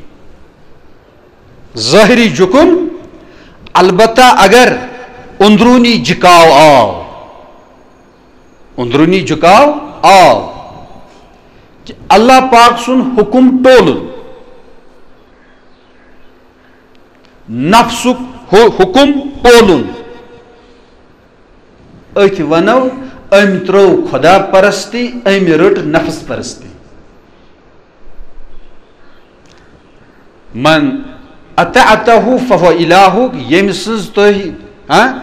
ظٲہری جُکُن، البتہ اگر اندروٗنی جھکاو آو، اندروٗنی جھکاو آو، اللہ پاک سُنٛد حُکُم ٹولُن، نفسُک حُ-، حُکُم ٹولُن، أتھۍ ونو، أمۍ ترٲو خدا پرستی، أمۍ رٔٹ نفس پرستی۔ من اطعته فهو الهک، ییٚمہِ سٕنٛز تُہۍ، ہاں،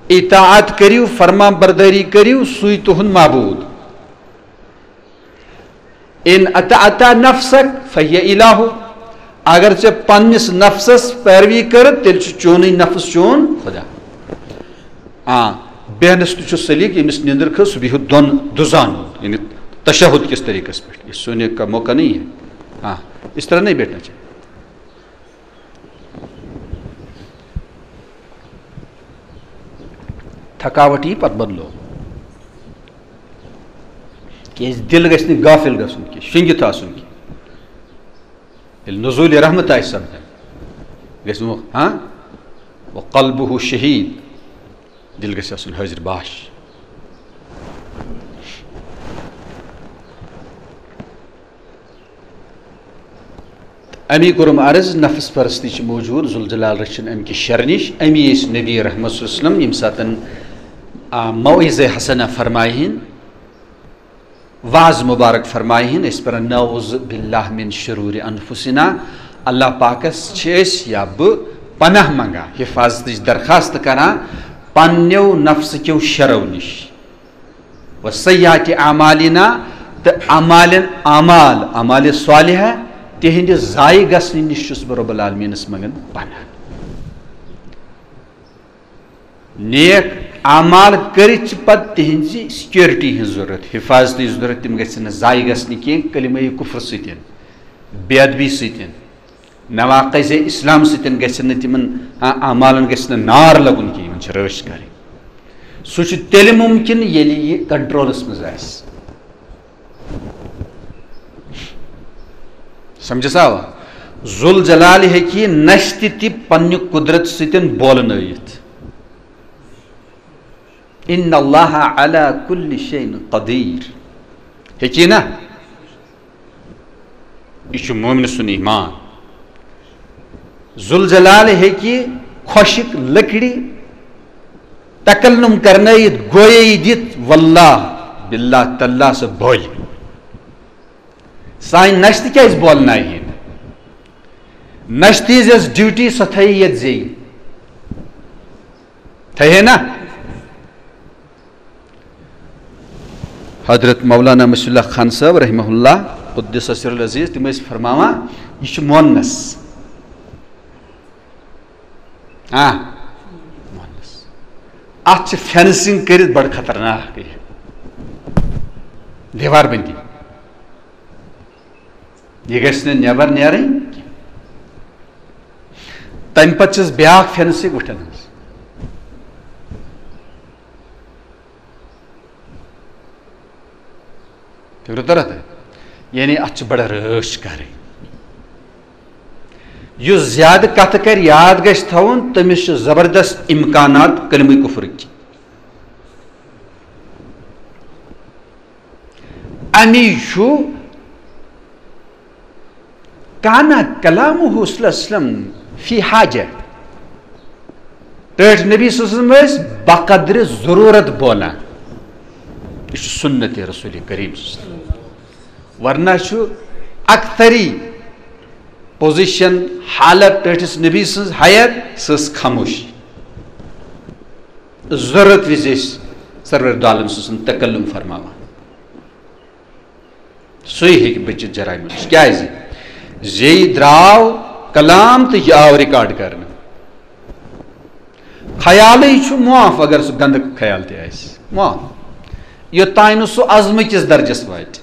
اطاعت کٔرِو، فرمان بردٲری کٔرِو، سُے تُہُنٛد معبوٗد۔ ان اطعت نفسک فهی الہک، اگر ژےٚ پننِس نفسس پیروی کٔرٕتھ، تیٚلہِ چھُ چونُے نفس چون خدا۔ آ، بیہنس تہِ چھُ سلیٖق، ییٚمِس نیٚنٛدٕر کھٔژ، سُہ بیہہِ دۄن دُزان، یعنی تشہد کِس طریٖقس پٮ۪ٹھ۔ یہ سونے کا موقع نہیں ہے۔ ہاں، اس طرح نہیں بیٹھنا چاہیے۔ تھکاوٹ یی پتہٕ بدلو۔ کیازِ دِل گژھِ نہٕ غافل گژھُن کینٛہہ، شۄنٛگِتھ آسُن کینٛہہ۔ ییٚلہِ نزول رحمت آسہِ سپدان، گژھِ وۄنۍ، ہاں، وقلبہ شہید، دِل گژھِ آسُن حٲضِر باش۔ امی کوٚرُم عرض، نفس پرستی چھِ موجود، ذوالجلال رٔچھِن امہِ کہِ شرٕ نِش۔ امی ٲسۍ نبی رحمت صلی اللہ علیہ وسلم ییٚمہِ ساتن، آ، موعظہ حسنہ فرمایہِ ہن، وعظ مبارک فرمایہِ ہن، أسۍ پرن نعوذ باللہ من شرور انفسنا، اللہ پاکس چھِ أسۍ یا بہٕ پناہ منگان، حفاظتٕچ درخواست کران پننیو نفسہٕ کیو شرو نِش۔ و سیئات اعمالنا، تہٕ اعمالن، اعمال، اعمال صالحہ، تِہنٛدِ ضایع گژھنہٕ نِش چھُس بہٕ رب العالمینس منگان پناہ۔ نیک اعمال کٔرِتھ چھِ پتہٕ تِہنٛزِ سیکیورٹی ہٕنٛز ضروٗرت، حفاظتٕچ ضروٗرت، تِم گژھن نہٕ ضایع گژھنہِ کینٛہہ کلمہ کفر سۭتۍ، بے ادبی سۭتۍ۔ نواقض اسلام سۭتۍ گژھن نہٕ تِمن، آ، اعمالن گژھِ نہٕ نار لگُن کینٛہہ، یِمن چھِ رٲچھ کرٕنۍ۔ سُہ چھُ تیٚلہِ مُمکِن ییٚلہِ یہِ کنٹرولس منٛز آسہِ۔ سمجھس آوا؟ ذوالجلال ہیٚکہِ یہِ نشتہِ تہِ پننہِ قدرت سۭتۍ بولنٲیِتھ۔ ان اللہ علی کل شیء قدیر۔ ہیٚکہِ نا؟ یہِ چھُ مومن سُنٛد ایمان۔ ذوالجلال ہیٚکہِ خۄشٕک لٔکرِ تکلم کرنٲیِتھ، گویٲیی دِتھ، واللہ، باللہ، تاللہ، سُہ بولہِ۔ سانہِ نشتہٕ کیازِ بولناوِ ہے نہٕ؟ نشتہٕ ہٕنٛز یۄس ڈیوٹی، سۄ تھٲیِو ییٚتہِ زیٚیہِ۔ تھٲیِو ہے نا؟ حضرت مولانا مصلح اللہ خان صٲب رحمہ اللہ، قدس سر العزیز، تِم ٲسۍ فرماوان، یہِ چھُ مونس۔ ہاں، مونس۔ اتھ چھِ فینسنگ کٔرِتھ بڑٕ خطرناک یہِ دیوار بندی۔ یہِ گژھِ نہٕ نٮ۪بر نیرٕنۍ کینٛہہ۔ تمہِ پتہٕ چھِس بیٛاکھ فینسنگ وٕٹھن ہٕنٛز۔ فکرِ تران تۄہہِ؟ یعنی اتھ چھِ بڑٕ رٲچھ کرٕنۍ۔ یُس زیادٕ کتھٕ کرِ، یاد گژھِ تھاوُن، تٔمِس چھِ زبردست امکانات کلمہٕ کفرٕکۍ۔ امی چھُ کانا کلامہ صلی اللہ علیہ وسلم فی حاجہ۔ ٹٲٹھۍ نبی صلی اللہ علیہ وسلم ٲسۍ بقدر ضرورت بولان۔ یہِ چھُ سنت رسول کریم صلی اللہ علیہ وسلم۔ ورنہ چھُ اکثری پوزیشن، حالت ٹٲٹھِس نبی سٕنٛز ہایت، سۄ ٲس خاموشی۔ ضرورت وِزِ ٲسۍ سرور دو عالم صلی اللہ علیہ وسلم تکلم فرماوان۔ سُے ہیٚکہِ بٔچِتھ جرائمو نِش۔ کیٛازِ؟ زیٚیہِ درٛاو کلام تہٕ یہِ آو ریکارڈ کرنہٕ۔ خیالٕے چھُ معاف، اگر سُہ گنٛدٕ خیال تہِ آسہِ، معاف۔ یوٚتام نہٕ سُہ عزمہٕ کِس درجس واتہِ۔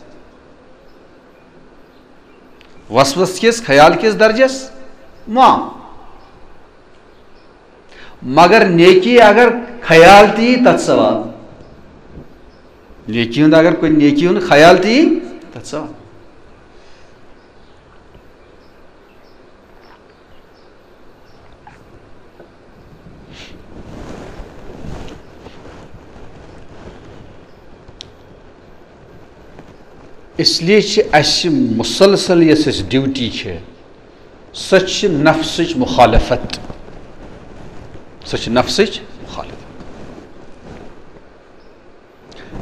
وسوس کِس خیال کِس درجس معاف۔ مگر نیکی اگر خیال تہِ یی، تتھ ثواب۔ نیکی ہُنٛد اگر کُنہِ نیکی ہُنٛد خیال تہِ یی، تتھ ثواب۔ اس لیے چھِ اَسہِ مسلسل یۄس اَسہِ ڈیوٹی چھِ، سۄ چھِ نفسٕچ مخالفت۔ سۄ چھِ نفسٕچ مخالفت۔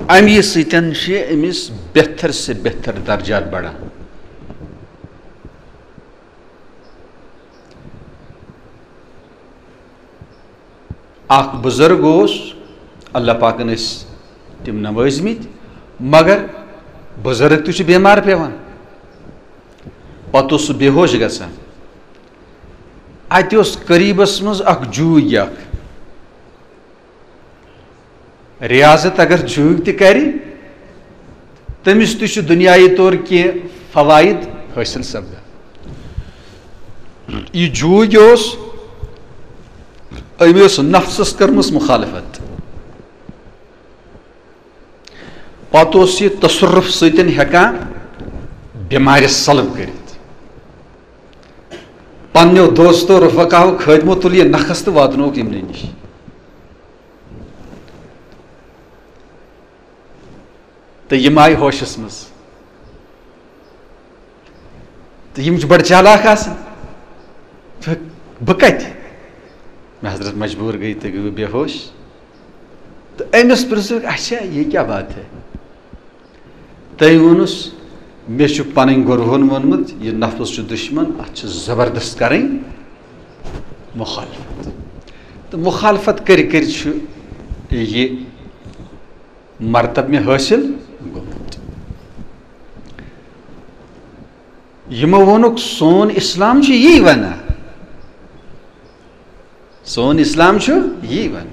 اَمی سۭتۍ چھِ أمِس بہتر سے بہتر درجات بڑان۔ اکھ بزرگ اوس، اللہ پاکن ٲسۍ تِم نوٲزمٕتۍ، مگر بزرگ تہِ چھُ بیمار پیوان۔ پتہٕ اوس سُہ بے ہوش گژھان۔ اتہِ اوس قریبس منٛز اکھ جوٗگۍ اکھ۔ ریاضت اگر جوٗگ تہِ کرِ، تٔمِس تہِ چھُ دُنیاوی طور کینٛہہ فوائد حٲصِل سپدان۔ یہِ جوٗگ اوس، أمۍ ٲس نفسس کٔرمٕژ مخالفت۔ پتہٕ اوس یہِ تصرف سۭتۍ ہٮ۪کان بٮ۪مارِ سلب کٔرِتھ۔ پننیو دوستو، رفقاہو، خٲدمو تُل یہِ نکھس تہٕ واتنووُکھ یِمنٕے نِش۔ تہٕ یِم آیہِ ہوشس منٛز۔ تہٕ یِم چھِ بڑٕ چالاک آسان۔ تہٕ بہٕ کتہِ؟ مےٚ حضرت مجبوٗر گٔے تہٕ گٔے بے ہوش۔ تہٕ أمِس پرٛژھُکھ، اچھا، یہ کیا بات ہے؟ تٔمۍ ووٚنُس، مےٚ چھُ پنٕنۍ گُروہن ووٚنمُت، یہِ نفس چھُ دُشمن، اتھ چھِ زبردست کرٕنۍ مخالفت۔ تہٕ مخالفت کٔرۍ کٔرۍ چھُ یہِ مرتب مےٚ حٲصِل گوٚمُت۔ یِمو ووٚنُکھ، سون اسلام چھُ یی ونان، سون اسلام چھُ یی ونان۔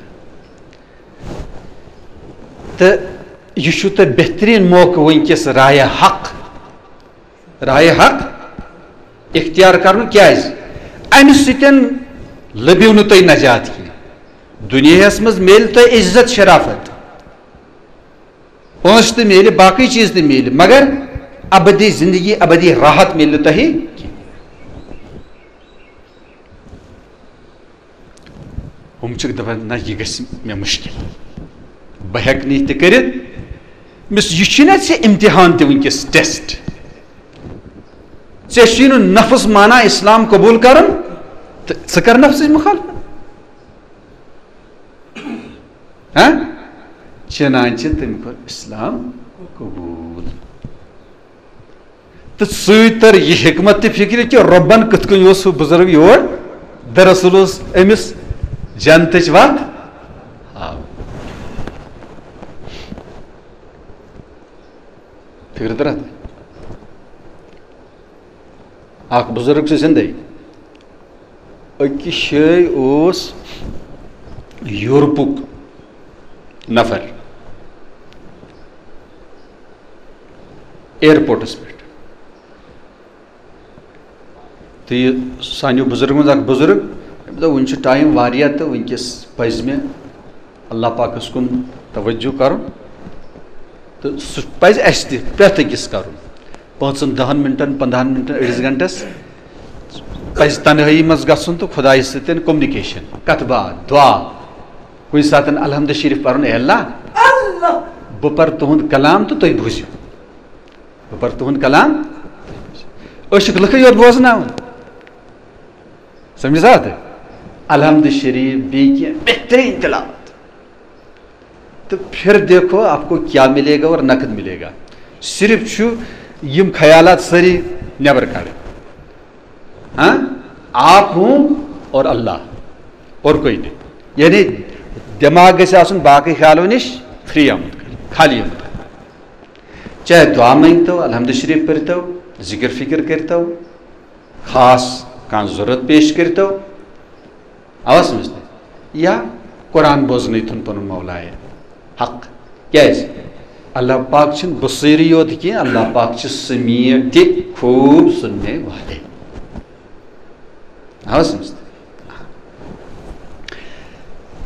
تہٕ یہِ چھُ تۄہہِ بہتریٖن موقعہٕ وٕنکیٚس رایے حق، رایے حق اختیار کرنُک۔ کیازِ؟ امہِ سۭتۍ لٔبِو نہٕ تُہۍ نجات کینٛہہ۔ دُنیاہس منٛز میلہِ تۄہہِ عزت شرافت، پونٛسہٕ تہِ میلہِ، باقٕے چیٖز تہِ میلہِ، مگر ابدی زندگی، ابدی راحت میلہِ نہٕ تۄہہِ کینٛہہ۔ ہُم چھِکھ دَپان، نہ، یہِ گژھِ مےٚ مُشکِل۔ بہٕ ہیٚکہٕ نہٕ یہِ تہِ کٔرِتھ۔ مِس، یہِ چھُے نہ ژےٚ امتحان تہِ وٕنکیٚس، ٹیسٹ۔ ژےٚ چھُے نہٕ نفس مانا اسلام قبول کرُن، تہٕ ژٕ کر نفسٕچ مخالفت۔ ہاں؟ چنانچہ تٔمۍ کوٚر اسلام قبول۔ تہٕ سۭتۍ تر یہِ حکمت تہِ فکرِ کہِ رۄبن کِتھ کٔنۍ اوس سُہ بُزرگ یور، دراصل اوس أمِس جنتٕچ وتھ ہاوٕنۍ۔ فکرِ تران؟ اکھ بُزرگ چھُ زندے، أکِس جایہِ اوس یورپُک نفر ایئرپورٹس پٮ۪ٹھ۔ تہٕ یہِ سانیو بُزرگو منٛز اکھ بُزرگ، أمۍ دوٚپ، "وُنہِ چھُ ٹایم واریاہ تہٕ وٕنکیٚس پزِ مےٚ اللہ پاکس کُن توجہ کرُن، تہٕ سُہ پزِ اسہِ تہِ پرٛٮ۪تھ أکِس کرُن۔ پانٛژن، دہن منٹن، پنٛدہن منٹن، أڑِس گنٹس پزِ تنہٲیی منٛز گژھُن تہٕ خدایس سۭتۍ کمیونیکیشن، کتھ باتھ، دعا، کُنہِ ساتن الحمد شریف پرُن، اے اللہ، بہٕ پرٕ تُہُنٛد کلام تہٕ تُہۍ بوٗزِو۔ بہٕ پرٕ تُہُنٛد کلام، أسۍ چھِکھ لُکھٕے یوت بوزناوان۔" سمجھ سا تُہۍ؟ الحمد شریف، بیٚیہِ کینٛہہ بہتریٖن تلاوت۔ تو پھر دیکھو آپ کو کیا ملے گا اور نقد ملے گا۔ صرف چھُ یِم خیالات سٲری نٮ۪بر کڑٕنۍ۔ ہاں؟ آپ ہوں اور اللہ، اور کوئی نہیں۔ یعنی دٮ۪ماغ گژھِ آسُن باقٕے خیالو نِش فری آمُت، خالی آمُت۔ چاہے دعا مٔنگتو، الحمد شریف پٔرتو، ذکر فکر کٔرتو، خاص کانٛہہ ضرورت پیش کٔرتو، آوا سمجھ تۄہہِ؟ یا قرآن بوزنٲوتھن پنُن مولایہِ حق۔ کیازِ؟ اللہ پاک چھُنہٕ بصیری یوت کینٛہہ، اللہ پاک چھُ سمیع تہِ، خوب سننے والے۔ آوا سمجھ تۄہہِ؟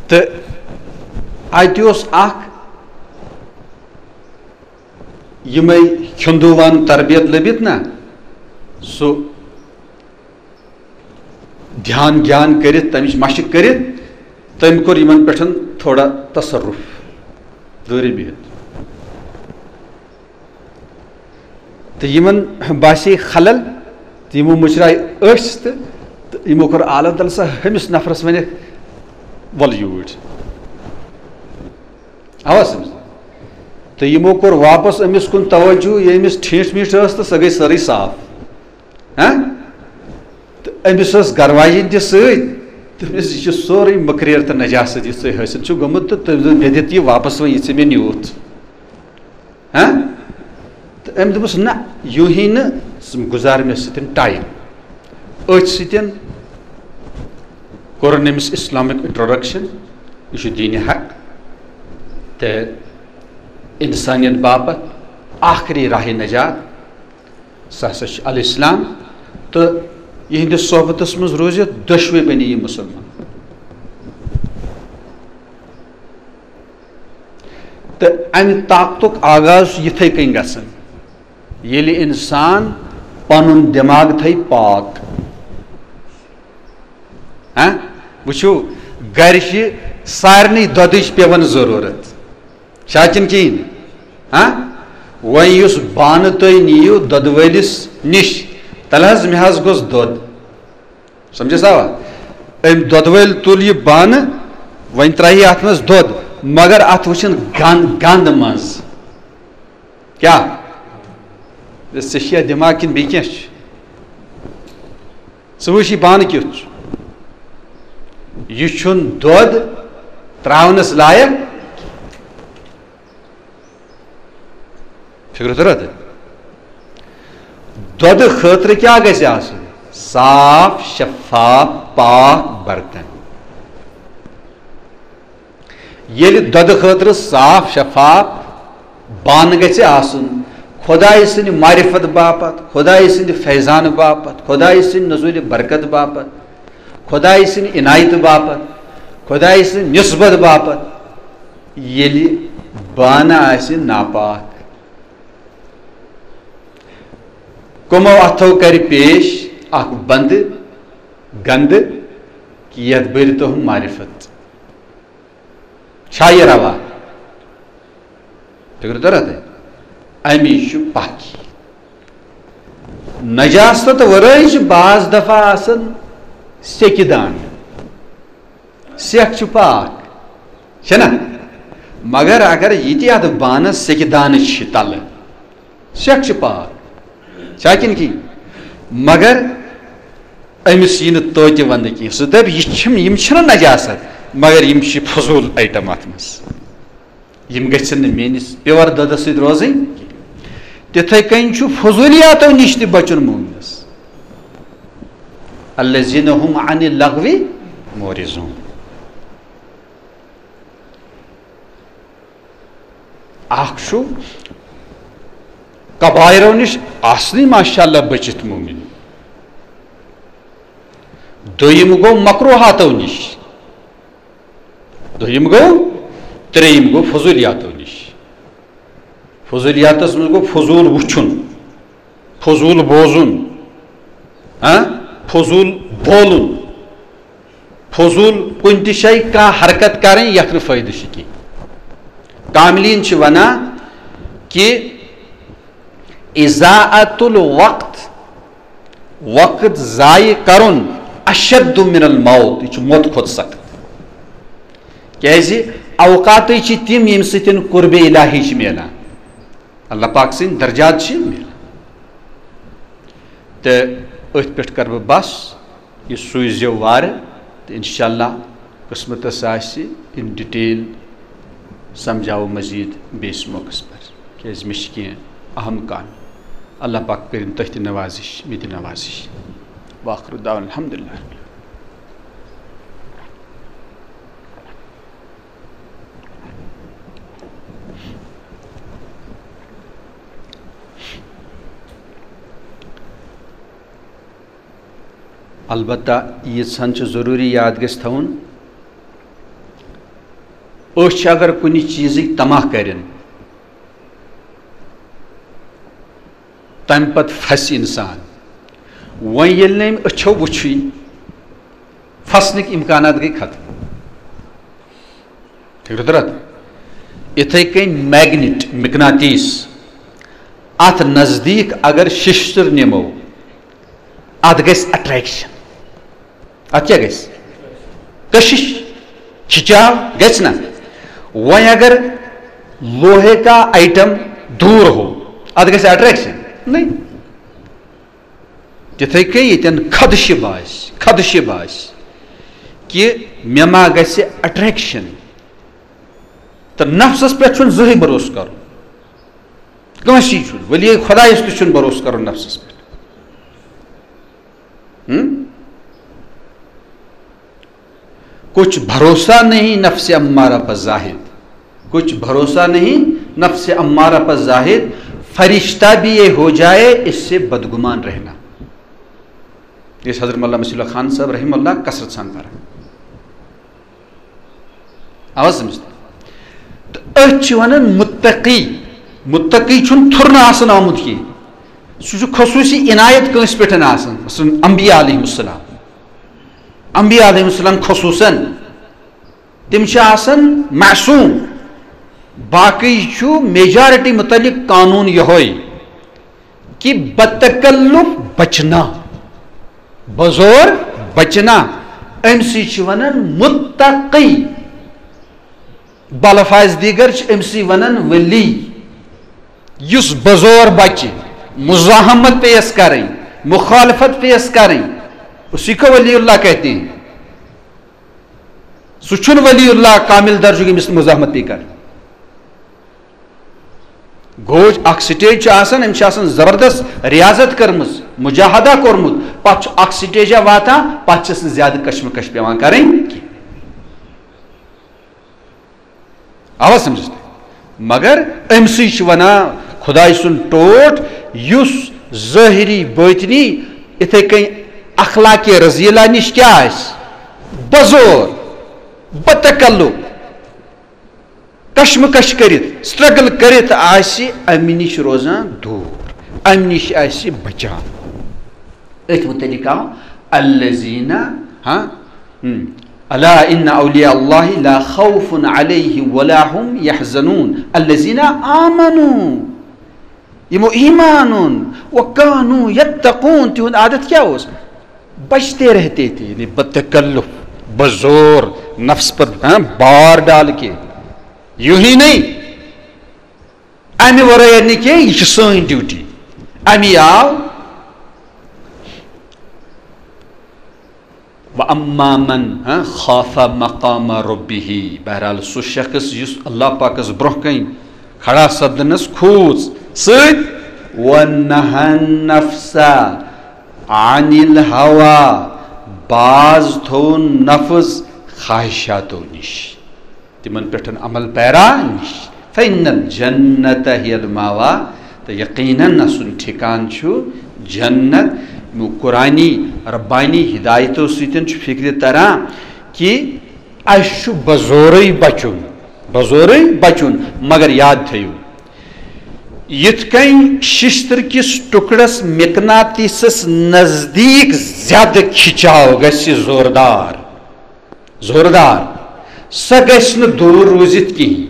تہٕ اتہِ اوس اکھ یِمے ہندووان تربیت لٔبِتھ نا، سُہ دھیان گیان کٔرِتھ، تَمِچ مشق کٔرِتھ، تٔمۍ کوٚر یِمن پٮ۪ٹھ تھوڑا تصرف، دوٗرِ بِہِتھ۔ تہٕ یِمن باسے خلل، تہٕ یِمو مُچراے أچھ تہٕ، تہٕ یِمو کوٚر عالم تل سا ہُمِس نفرس ونکھ، "ول یوٗرۍ۔" آوا سمجھ؟ تہٕ یِمو کوٚر واپس أمِس کُن توجہ، یہِ أمِس ٹھیٖٹھ میٖٹھ ٲس تہٕ سۄ گٔے سٲرٕے صاف۔ ہاں؟ تہٕ أمِس ٲس گرواجِنۍ تہِ سۭتۍ۔ تٔمِس، "یہِ چھُ سورُے مٔکریر تہٕ نجاست یُس تۄہہِ حٲصِل چھُ گوٚمُت، تہٕ تٔمۍ دوٚپ، مےٚ دِتھ یہِ واپس وۄنۍ، یہِ ژےٚ مےٚ نیوٗتھ۔" ہاں؟ تہٕ أمۍ دوٚپُس، "نہ، یوٗہی نہٕ، ژٕ گُزار مےٚ سۭتۍ ٹایم۔" أتھۍ سۭتۍ کوٚرُن أمِس اسلامک انٹروڈکشن، یہِ چھُ دینِ حق تہٕ انسانیت باپتھ آخری راہ نجات، سُہ ہسا چھُ الاسلام۔ تہٕ یِہنٛدِس صحبتس منٛز روٗزِتھ دۄشوے بنے یِم مسلمان۔ تہٕ امہِ طاقتُک آغاز چھُ یِتھے کٔنۍ گژھان، ییٚلہِ انسان پنُن دٮ۪ماغ تھایہِ پاک۔ ہاں؟ وٕچھِو، گرِ چھِ سارنٕے دۄدٕچ پٮ۪وان ضروٗرت۔ چھا کِنہٕ کِہیٖنۍ؟ ہاں؟ وۄنۍ یُس بانہٕ تُہۍ نِیِو دۄدٕ وٲلِس نِش، تَلہٕ حظ، مےٚ حظ گوٚژھ دۄد۔ سمجھس آوا؟ أمۍ دۄدٕ وٲلۍ تُل یہِ بانہٕ، وۄنۍ ترٛایہِ اَتھ منٛز دۄد، مگر اَتھ وٕچھِن گنٛد، گنٛد منٛز۔ کیٛاہ؟ ژےٚ چھِیا دٮ۪ماغ کِنہٕ بیٚیہِ کینٛہہ چھُ؟ ژٕ وٕچھ یہِ بانہٕ کیُتھ چھُ۔ یہِ چھُنہٕ دۄد ترٛاونَس لایق۔ فِکرِ ترٛٲو تۄہہِ؟ دۄدٕ خٲطرٕ کیٛاہ گژھِ آسُن؟ صاف، شفاف، پاک برتن۔ ییٚلہِ دۄدٕ خٲطرٕ صاف شفاف بانہٕ گژھِ آسُن، خۄدایہِ سٕنٛدِ معرفت باپتھ، خۄدایہِ سٕنٛدِ فیضانہٕ باپتھ، خۄدایہِ سٕنٛدِ نزوٗلِ برکت باپتھ، خۄدایہِ سٕنٛدِ عنایتہٕ باپتھ، خۄدایہِ سٕنٛدِ نسبت باپتھ، ییٚلہِ بانہٕ آسہِ ناپاک، کمو اتھو کرِ پیش اکھ بندٕ گندٕ، کہِ یتھ بٔرۍ تُہُنٛد معرفت۔ چھا یہِ روا؟ فکر ترا تۄہہِ؟ اَمی چھُ پاکی۔ نجاست ورٲے چھِ بعض دفعہ آسان سیٚکہِ دانہٕ۔ سیٚکھ چھِ پاک، چھےٚ نا؟ مگر اگر یہِ تہِ اَتھ بانَس سیٚکہِ دانہٕ چھِ تَلہٕ، سیٚکھ چھِ پاک، چھا کِنہٕ کِہیٖنۍ؟ مگر أمِس یی نہٕ توتہِ وَنٛدٕ کینٛہہ۔ سُہ دَپہِ، یہِ چھِم، یِم چھِنہٕ نجاست، مگر یِم چھِ فضوٗل آیٹم اَتھ منٛز۔ یِم گژھن نہٕ میٲنِس پیور دۄدس سۭتۍ روزٕنۍ۔ تِتھے کٔنۍ چھُ فضوٗلیاتو نِش تہِ بچُن مومنس۔ الذین هم عن اللغو معرضون۔ اکھ چھُ کبائرو نِش آسنٕے ماشاءاللہ بٔچِتھ مومن۔ دوٚیِم گوٚو مکروہاتو نِش۔ دوٚیِم گوٚو، ترٛیٚیِم گوٚو فضوٗلیاتو نِش۔ فضوٗلیاتس منٛز گوٚو فضوٗل وٕچھُن، فضوٗل بوزُن، ہاں، فضوٗل بولُن، فضوٗل کُنہِ تہِ جایہِ کانٛہہ حرکت کرٕنۍ یتھ نہٕ فٲیدٕ چھُ کینٛہہ۔ کاملین چھِ ونان کہِ اضاعت الوقت، وقت ضایع کرُن، اشد من الموت، یہِ چھُ موت کھۄتہٕ سخت۔ کیازِ؟ اوقاتٕے چھِ تِم ییٚمہِ سۭتۍ قرب الہی چھِ میلان، اللہ پاک سٕنٛدۍ درجات چھِ میلان۔ تہٕ أتھۍ پٮ۪ٹھ کرٕ بہٕ بس۔ یہِ سوٗزیو وارٕ تہٕ انشاءاللہ قٕسمتس آسہِ in detail سمجھاوو مزید بیٚیِس موقعس پٮ۪ٹھ، کیازِ مےٚ چھِ کینٛہہ اہم کامہِ۔ اللہ پاک کٔرِن تۄہہِ تہِ نوازش، مےٚ تہِ نوازش۔ وآخر دعوانا الحمدللہ۔ البتہ ییٖژہن چھُ ضروٗری یاد گژھِ تھاوُن، أچھ اگر کُنہِ چیٖزٕکۍ طمع کرن، تمہِ پتہٕ پھسہِ انسان۔ وۄنۍ ییٚلہِ نہٕ أمۍ أچھو وُچھُے، پھسنٕکۍ امکانات گٔے ختم۔ فکرِ تران؟ یِتھے کٔنۍ میگنیٹ، مقناطیس، اتھ نزدیٖک اگر ششتٕر نِمو، اتھ گژھِ اٹریکشن۔ اتھ کیٛاہ گژھِ؟ کشش، کھچاو گژھِ نا؟ وۄنۍ اگر لوہے کا آیٹم دور ہو، اتھ گژھِ اٹریکشن؟ نہیں۔ تِتھے کٔنۍ ییٚتٮ۪ن خدشہِ باسہِ، خدشہِ باسہِ کہِ مےٚ ما گژھِ اٹریکشن، تہٕ نفسس پٮ۪ٹھ چھُنہٕ زٕہٕے بھروسہٕ کرُن، کٲنٛسی چھُنہٕ، ولی خدایس تہِ چھُنہٕ بھروسہٕ کرُن نفسس پٮ۪ٹھ۔ ہم؟ کچھ بھروسہ نہیں نفس امارہ پر زاہد، کچھ بھروسہ نہیں نفس امارہ پر زاہد، فرشتہ بھی یہ ہو جائے اس سے بدگمان رہنا۔ یہِ ٲسۍ حضرت مولانا مصیب اللہ خان صٲب رحمہ اللہ کثرت سان پران۔ آواز سمجھ؟ تہٕ أتھۍ چھِ وَنان مُتقی۔ مُتقی چھُنہٕ تھُرنہٕ آسان آمُت کینٛہہ۔ سُہ چھُ خصوٗصی عنایت کٲنٛسہِ پٮ۪ٹھ آسان، مثلاً انبیاء علیہم السلام۔ انبیاء علیہم السلام خصوٗصاً، تِم چھِ آسان معصوٗم۔ باقٕے چھُ میجارٹی مُتعلق قانوٗن یِہوٚے کہِ بتکلف بچنا، بزور بچنا، أمۍ سٕے چھِ وَنان مُتقی۔ بلفاظ دیگر چھِ أمۍ سٕے وَنان ولی۔ یُس بزور بچہِ، مزاحمت پیش کرٕنۍ، مخالفت پیش کرٕنۍ، اسی کو ولی اللہ کہتے ہیں۔ سُہ چھُنہٕ ولی اللہ کامل درجُک ییٚمِس نہٕ مزاحمت پیٚیہِ کرٕنۍ۔ گوٚو اکھ سٹیج چھِ آسان، أمِس چھِ آسان زبردست ریاضت کٔرمٕژ، مجاہدہ کوٚرمُت، پتہٕ چھُ اکھ سٹیجا واتان، پتہٕ چھِس نہٕ زیادٕ کشمکش پٮ۪وان کرٕنۍ کینٛہہ۔ آوا سمجھس تۄہہِ؟ مگر أمۍ سٕے چھِ ونان خداے سُنٛد ٹوٹھ، یُس ظٲہری باطنی اِتھے کٔنۍ اخلاق رذیلہ نِش کیٛاہ آسہِ؟ بزور، بتکلف، کشمکش کٔرِتھ، سٹرگل کٔرِتھ آسہِ، امہِ نِش روزان دوٗر، امہِ نِش آسہِ بچان۔ أتھۍ متعلق آو الذین، ہاں، ہم، الا ان اولیاء اللہ لا خوف علیہم ولا هم يحزنون الذين آمنوا، یِمو ایمان اوٚن، وکانو یتقون، تِہُنٛد عادت کیٛاہ اوس؟ بچتے رہتے تھے، یعنی بتکلف، بزور، نفس پر، ہاں، بار ڈال کے، یوں ہی نہیں، امہِ ورٲے نہٕ کینٛہہ، یہِ چھِ سٲنۍ ڈیوٹی۔ امی آو، و اما من، ہاں، خاف مقام ربہ، بہرحال سُہ شخص یُس اللہ پاکس برونٛہہ کنہِ کھڑا سپدنس کھوٗژ سۭتۍ، و نہن نفس عن الہوا، باز تھوٚو نفس خواہشاتو نِش۔ تِمن پٮ۪ٹھ عمل پیرا نِش۔ فإن الجنة هي المأوى، تہٕ یقیناً آسُن ٹھِکان چھُ جنت۔ یِمو قرآنی ربانی ہدایتو سۭتۍ چھُ فکرِ تران کہِ اَسہِ چھُ بزورٕے بچُن، بزورٕے بچُن، مگر یاد تھٲیِو، یِتھ کٔنۍ ششتٕر کِس ٹُکڑس مقناطیسس نزدیٖک زیادٕ کھِچاو گژھِ زوردار، زوردار، سۄ گژھِ نہٕ دوٗر روٗزِتھ کِہیٖنۍ۔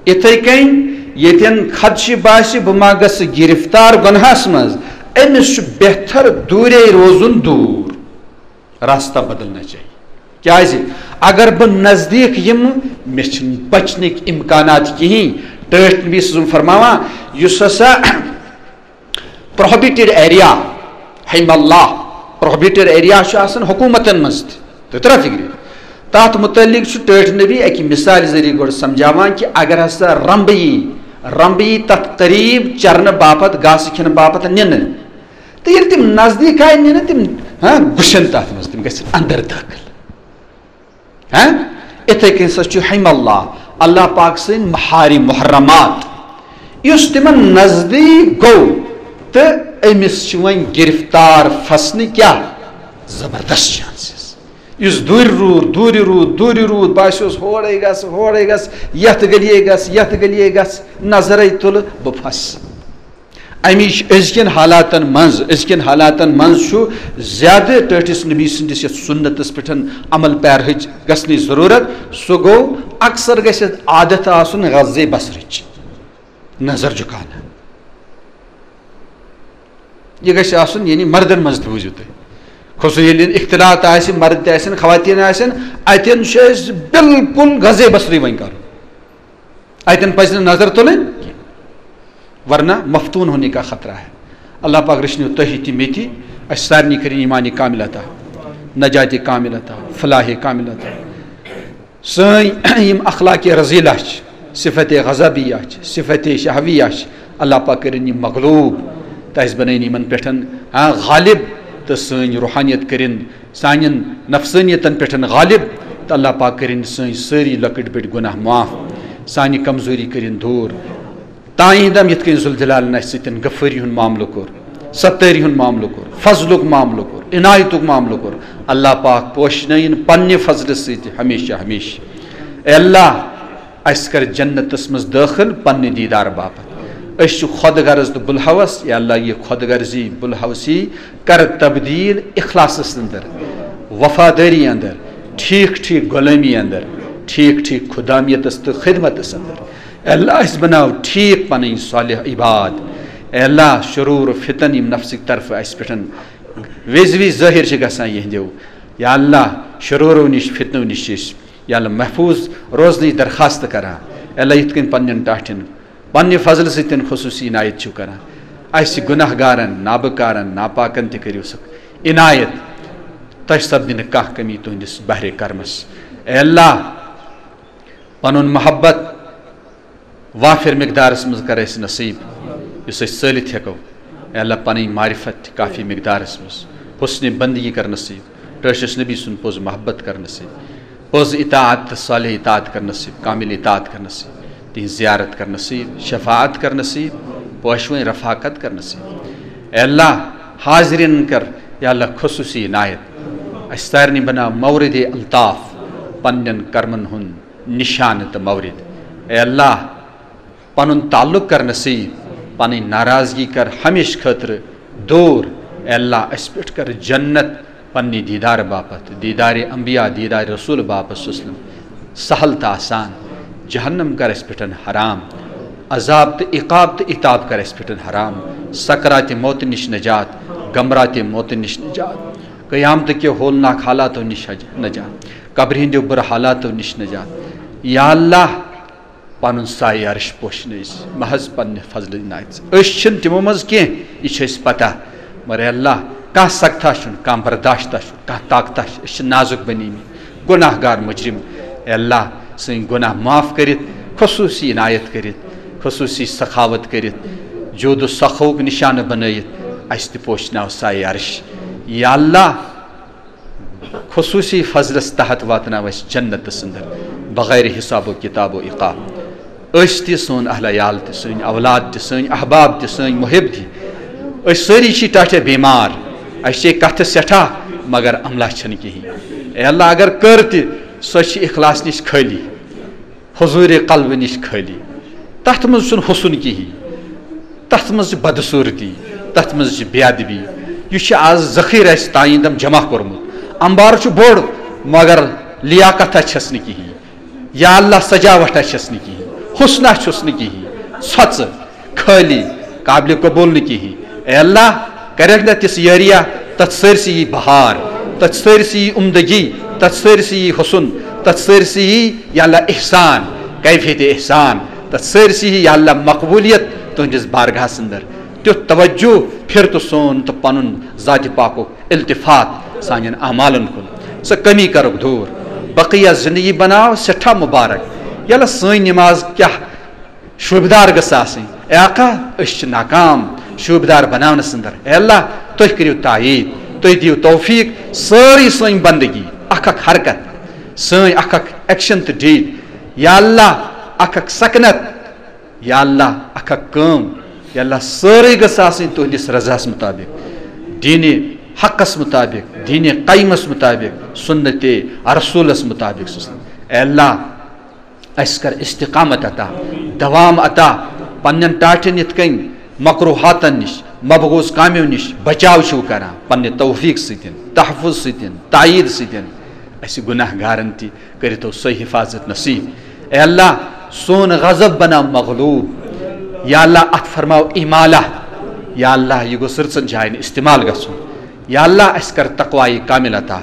یِتھَے کٔنۍ ییٚتٮ۪ن خدشہِ باسہِ بہٕ ما گژھٕ گرفتار گۄنہَس منٛز، أمِس چھُ بہتر دوٗرے روزُن دوٗر۔ راستہ بدلنا چاہیے۔ کیٛازِ؟ اگر بہٕ نزدیٖک یِمہٕ، مےٚ چھِنہٕ بچنٕکۍ امکانات کِہیٖنۍ۔ ٹٲٹھۍ نبی صلی اللہ علیہ وسلم فرماوان، یُس ہسا پروہبٹڈ ایریا، حم اللہ، پروہبٹڈ ایریا چھُ آسان حکوٗمتن منٛز تہِ، تُہۍ ترٛا فِکرِ؟ تَتھ مُتعلِق چھُ ٹٲٹھۍ نبی اَکہِ مِثالہِ ذٔریعہٕ گۄڈٕ سمجھاوان کہِ اگر ہسا رمبہٕ یی، رمبہٕ یی تَتھ قریٖب چرنہٕ باپتھ، گاسہٕ کھٮ۪نہٕ باپتھ نِنہٕ، تہٕ ییٚلہِ تِم نزدیٖک آیہِ نِنہٕ، تِم، ہاں، گُشن تَتھ منٛز، تِم گژھن اندر دٲخل۔ ہاں؟ اِتھَے کٔنۍ سا چھُ حم اللہ، اللہ پاک سٕنٛدۍ محارم محرمات، یُس تِمن نزدیٖک گوٚو تہٕ أمِس چھِ وۄنۍ گرفتار پھسنہٕ کیٛاہ زبردست چانسز۔ یُس دوٗرِ روٗد، دوٗرِ روٗد، دوٗرِ روٗد، باسیوس ہورَے گژھ، ہورَے گژھ، یَتھ گٔلیے گژھ، یَتھ گٔلیے گژھ، نظرَے تُلہٕ، بہٕ پھسہٕ۔ اَمِچ أزکٮ۪ن حالاتن منٛز، أزکٮ۪ن حالاتن منٛز چھُ زیادٕ ٹٲٹھِس نبی سٕنٛدِس یَتھ سُنتس پٮ۪ٹھ عمل پیرہٕچ گژھنٕچ ضروٗرت۔ سُہ گوٚو، اکثر گژھِ عادت آسُن غزے بصرٕچ نظر جُکانا۔ یہِ گژھِ آسُن، یعنی مردن منٛز تہِ بوٗزِو تُہۍ، خصوٗصی ییٚلہِ اختلاط آسہِ، مرد تہِ آسن، خواتین آسن، اتٮ۪ن چھُ اَسہِ بالکل غزے بصری وۄنۍ کرُن۔ اتٮ۪ن پزِ نہٕ نظر تُلٕنۍ کینٛہہ، ورنہ مفتون ہونے کا خطرہ ہے۔ اللہ پاک رچھنو تۄہہِ تہِ مےٚ تہِ، اسہِ سارنٕے کٔرِن ایمان کامل عطا، نجات کامل عطا، فلاح کامل عطا۔ سٲنۍ یِم اخلاق رذیلہ چھِ، صفت غضبیہ چھِ، صفت شہویہ چھِ، اللہ پاک کٔرِن یِم مغلوب، تہٕ اسہِ بنٲیِن یِمن پٮ۪ٹھ، آ، غالب، تہٕ سٲنۍ روحانیت کٔرِن سانٮ۪ن نفسٲنیتن پٮ۪ٹھ غالب، تہٕ اللہ پاک کٔرِن سٲنۍ سٲری لۄکٕٹۍ بٔڑۍ گۄناہ معاف، سانہِ کمزوری کٔرِن دوٗر۔ تانۍ دم یِتھ کٔنۍ ذوالجلالن اَسہِ سۭتۍ غفٲری ہُنٛد معاملہٕ کوٚر، ستٲری ہُنٛد معاملہٕ کوٚر، فضلُک معاملہٕ کوٚر، عنایتُک معاملہٕ کوٚر، اللہ پاک پوشنٲیِن پننہِ فضلہٕ سۭتۍ ہمیشہ ہمیشہ۔ اے اللہ، اَسہِ کر جنتس منٛز دٲخل پننہِ دیدار باپتھ۔ أسۍ چھِ خۄد غرض تہٕ بُلہوس، یا اللہ، یہِ خۄد غرضی، بُلہوسی کر تبدیل اخلاصس اندر، وفادٲری اندر، ٹھیک ٹھیک غلٲمی اندر، ٹھیک ٹھیک خدامیتس تہٕ خدمتس اندر۔ اے اللہ، اَسہِ بناو ٹھیک پنٕنۍ صالح عباد۔ اے اللہ، شرور و فتن یِم نفسٕکۍ طرفہٕ اَسہِ پٮ۪ٹھ وِزِ وِزِ ظٲہِر چھِ گژھان، یِہنٛدیو، یا اللہ، شرورو نِش، فتنو نِش چھِ أسۍ، یا اللہ، محفوظ روزنٕچ درخواست کران۔ اے اللہ، یِتھ کٔنۍ پننٮ۪ن ٹاٹھٮ۪ن پننہِ فضلہٕ سۭتۍ خصوٗصی عنایت چھِو کران، اَسہِ گۄناہ گارن، نابکارن، ناپاکن تہِ کٔرِو سُہ عنایت۔ تۄہہِ سپدِ نہٕ کانٛہہ کمی تُہنٛدِس بحرِ کرمس۔ اے اللہ، پنُن محبت وافر مقدارس منٛز کر اَسہِ نصیب، یُس أسۍ ژٲلِتھ ہٮ۪کو۔ اے اللہ، پنٕنۍ معرفت تہِ کافی مقدارس منٛز، حسن بندگی کر نصیب، ٹٲٹھِس نبی سُنٛد پوٚز محبت کر نصیب، پوٚز اطاعت تہٕ صالح اطاعت کر نصیب، کامل اطاعت کر نصیب، تِہنٛز زیارت کر نصیب، شفاعت کر نصیب، پوشوٕنۍ رفاقت کر نصیب۔ اے اللہ، حاضرین کر، یا اللہ، خصوٗصی عنایت۔ اَسہِ سارنٕے بناو مورد الطاف، پننٮ۪ن کرمن ہُنٛد نشانہٕ تہٕ مورد۔ اے اللہ، پنُن تعلق کر نصیب، پنٕنۍ ناراضگی کر ہمیشہٕ خٲطرٕ دوٗر۔ اے اللہ، اَسہِ پٮ۪ٹھ کر جنت پننہِ دیدار باپتھ، دیدار انبیاء، دیدار رسول باپتھ صلی اللہ علیہ وسلم سہل تہٕ آسان۔ جہنم کر اسہِ پٮ۪ٹھ حرام، عذاب تہٕ عقاب تہٕ عتاب کر اسہِ پٮ۪ٹھ حرام۔ سکرات موت نِش نجات، غمرات موت نِش نجات، قیامت کیو ہولناک حالاتو نِش حج-، نجات، قبرِ ہٕنٛدیو بُرٕ حالاتو نِش نجات۔ یا اللہ، پنُن سایہِ عرش پوشنٲوِس محض پننہِ فضلہٕ عنایت سۭتۍ۔ أسۍ چھِنہٕ تِمو منٛز کینٛہہ، یہِ چھِ اَسہِ پتہ، مگر اے اللہ، کانٛہہ سکتھا چھُنہٕ، کانٛہہ برداشتہ چھُنہٕ، کانٛہہ طاقتہ چھُ، أسۍ چھِ نازُک بنیمٕتۍ، گناہ گار مجرم۔ اے اللہ، سٲنۍ گناہ معاف کٔرِتھ، خصوصی عنایت کٔرِتھ، خصوصی سخاوت کٔرِتھ، جود و سخاوُک نشانہٕ بنٲیِتھ اَسہِ تہِ پوشناو سایہِ عرش۔ یا اللہ، خصوصی فضلس تحت واتناو اسہِ جنت سندر بغیر حساب و کتاب و عقاب۔ أسۍ تہِ، سون اہل عیال تہِ، سٲنۍ اولاد تہِ، سٲنۍ احباب تہِ، سٲنۍ محب تہِ، أسۍ سٲری چھِ ٹاٹھے بیمار، اسہِ چھے کتھٕ سٮ۪ٹھاہ، مگر عملہ چھنہٕ کہیٖنۍ۔ اے اللہ، اگر کٔر تہِ، سۄ چھِ اخلاص نِش خٲلی، حضور قلبہٕ نِش خٲلی۔ تتھ منٛز چھُنہٕ حسن کہیٖنۍ، تتھ منٛز چھِ بدصورتی، تتھ منٛز چھِ بے ادبی۔ یہِ چھُ آز ذخیرٕ اسہِ تام جمع کوٚرمُت۔ انبار چھُ بوٚڑ، مگر لیاقتہ چھس نہٕ کہیٖنۍ۔ یا اللہ، سجاوٹھا چھس نہٕ کہیٖنۍ، حسنہ چھُس نہٕ کہیٖنۍ، ژھۄژٕ، خٲلی، قابل قبول نہٕ کہیٖنۍ۔ اے اللہ، کرکھ نہ تِژھ یٲریا، تتھ سٲرسٕے یی بہار، تتھ سٲرسٕے یی عمدگی، تتھ سٲرسٕے یی حسن، تتھ سٲرسٕے یی یا اللہ احسان، کیفیت احسان، تتھ سٲرسٕے یی یا اللہ مقبولیت تُہنٛدِس بارگاہس اندر۔ تیُتھ توجہ پھر تہٕ سون تہٕ پنُن ذاتِ پاکُک التفات سانٮ۪ن اعمالن کُن۔ سۄ کمی کرُکھ دوٗر۔ بقیہ زندگی بناو سٮ۪ٹھاہ مبارک۔ ییٚلہِ سٲنۍ نماز کیٛاہ شوٗبدار گٔژھ آسٕنۍ۔ اے آقا، أسۍ چھِ ناکام شوٗبدار بناونس اندر۔ اے اللہ، تُہۍ کٔرِو تایید، تُہۍ دِیِو توفیق، سٲرٕے سٲنۍ بندگی، اکھ اکھ حرکت، سٲنۍ اکھ اکھ ایکشن تہٕ ڈیٖڈ، یا اللہ، اکھ اکھ سکنت، یا اللہ، اکھ اکھ کٲم، یا اللہ، سٲرٕے گٔژھ آسٕنۍ تُہنٛدِس رضاہس مطابق، دیٖنِ حقس مطابق، دیٖنِ قیمس مطابق، سنتِ رسولس مطابق۔ اے اللہ، اسہِ کر استقامت عطا، دوام عطا، پننٮ۪ن ٹاٹھٮ۪ن یِتھ کٔنۍ مکروہاتن نِش، مبغوض کامیو نِش بچاو چھِو کران، پننہِ توفیق سۭتۍ، تحفظ سۭتۍ، تایید سۭتۍ، اسہِ گناہ گارن تہِ کٔرِتو سۄے حفاظت نصیب۔ اے اللہ، سون غضب بناو مغلوب۔ یا اللہ، اتھ فرماو امالہ۔ یا اللہ، یہِ گوٚژھ رٕژن جاین استعمال گژھُن۔ یا اللہ، اسہِ کر تقوایہِ کامل عطا،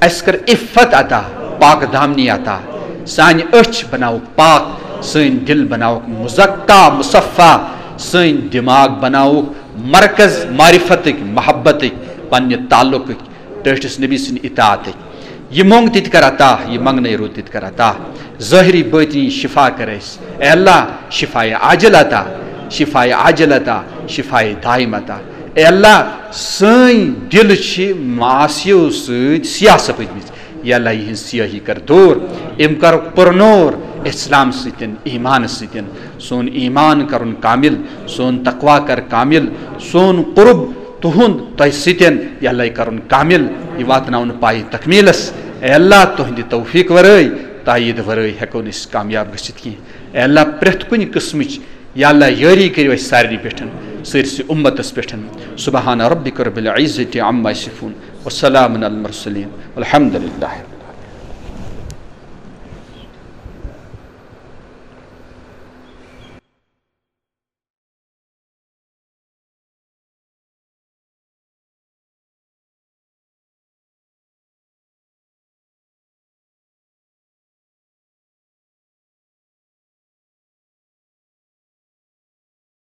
اسہِ کر عفت عطا، پاک دامنی عطا، سانہِ أچھ بناوُکھ پاک، سٲنۍ دل بناوُکھ مزکا مصفا، سٲنۍ دماغ بناوُکھ مرکز معرفتٕکۍ، محبتٕکۍ، پننہِ تعلقٕکۍ، ٹٲٹھِس نبی سٕنٛدِ اطاعتٕکۍ۔ یہِ مۄنگ تہِ تہِ کر عطا، یہِ منگنے روٗد تہِ تہِ کر عطا۔ ظٲہری بٲطنی شفا کر اسہِ۔ اے اللہ، شفایہِ عاجل عطا، شفایہِ عاجل عطا، شفایہِ دائم عطا۔ اے اللہ، سٲنۍ دِل چھِ معاصیو سۭتۍ سیاہ سپٕدمٕتۍ۔ یا اللہ، یِہنٛز سیاہی کر دوٗر، یِم کر پُرنور اسلام سۭتۍ، ایمان سۭتۍ۔ سون ایمان کرُن کامل، سون تقوی کر کامل، سون قرب تُہُنٛد تۄہہِ سۭتۍ، یا اللہ، یہِ کرُن کامل، یہِ واتناوُن پایہِ تکمیلس۔ اے اللہ، تُہنٛدِ توفیق ورٲے، تایید ورٲے ہیٚکو نہٕ أسۍ کامیاب گٔژھِتھ کینٛہہ۔ اے اللہ، پرٛٮ۪تھ کُنہِ قٕسمٕچ، یا اللہ، یٲری کٔرِو اَسہِ سارنٕے پٮ۪ٹھ، سٲرسٕے اُمتس پٮ۪ٹھ۔ سبحان ربک رب العزة عما یصفون، وسلام علی المرسلین، والحمد للہ۔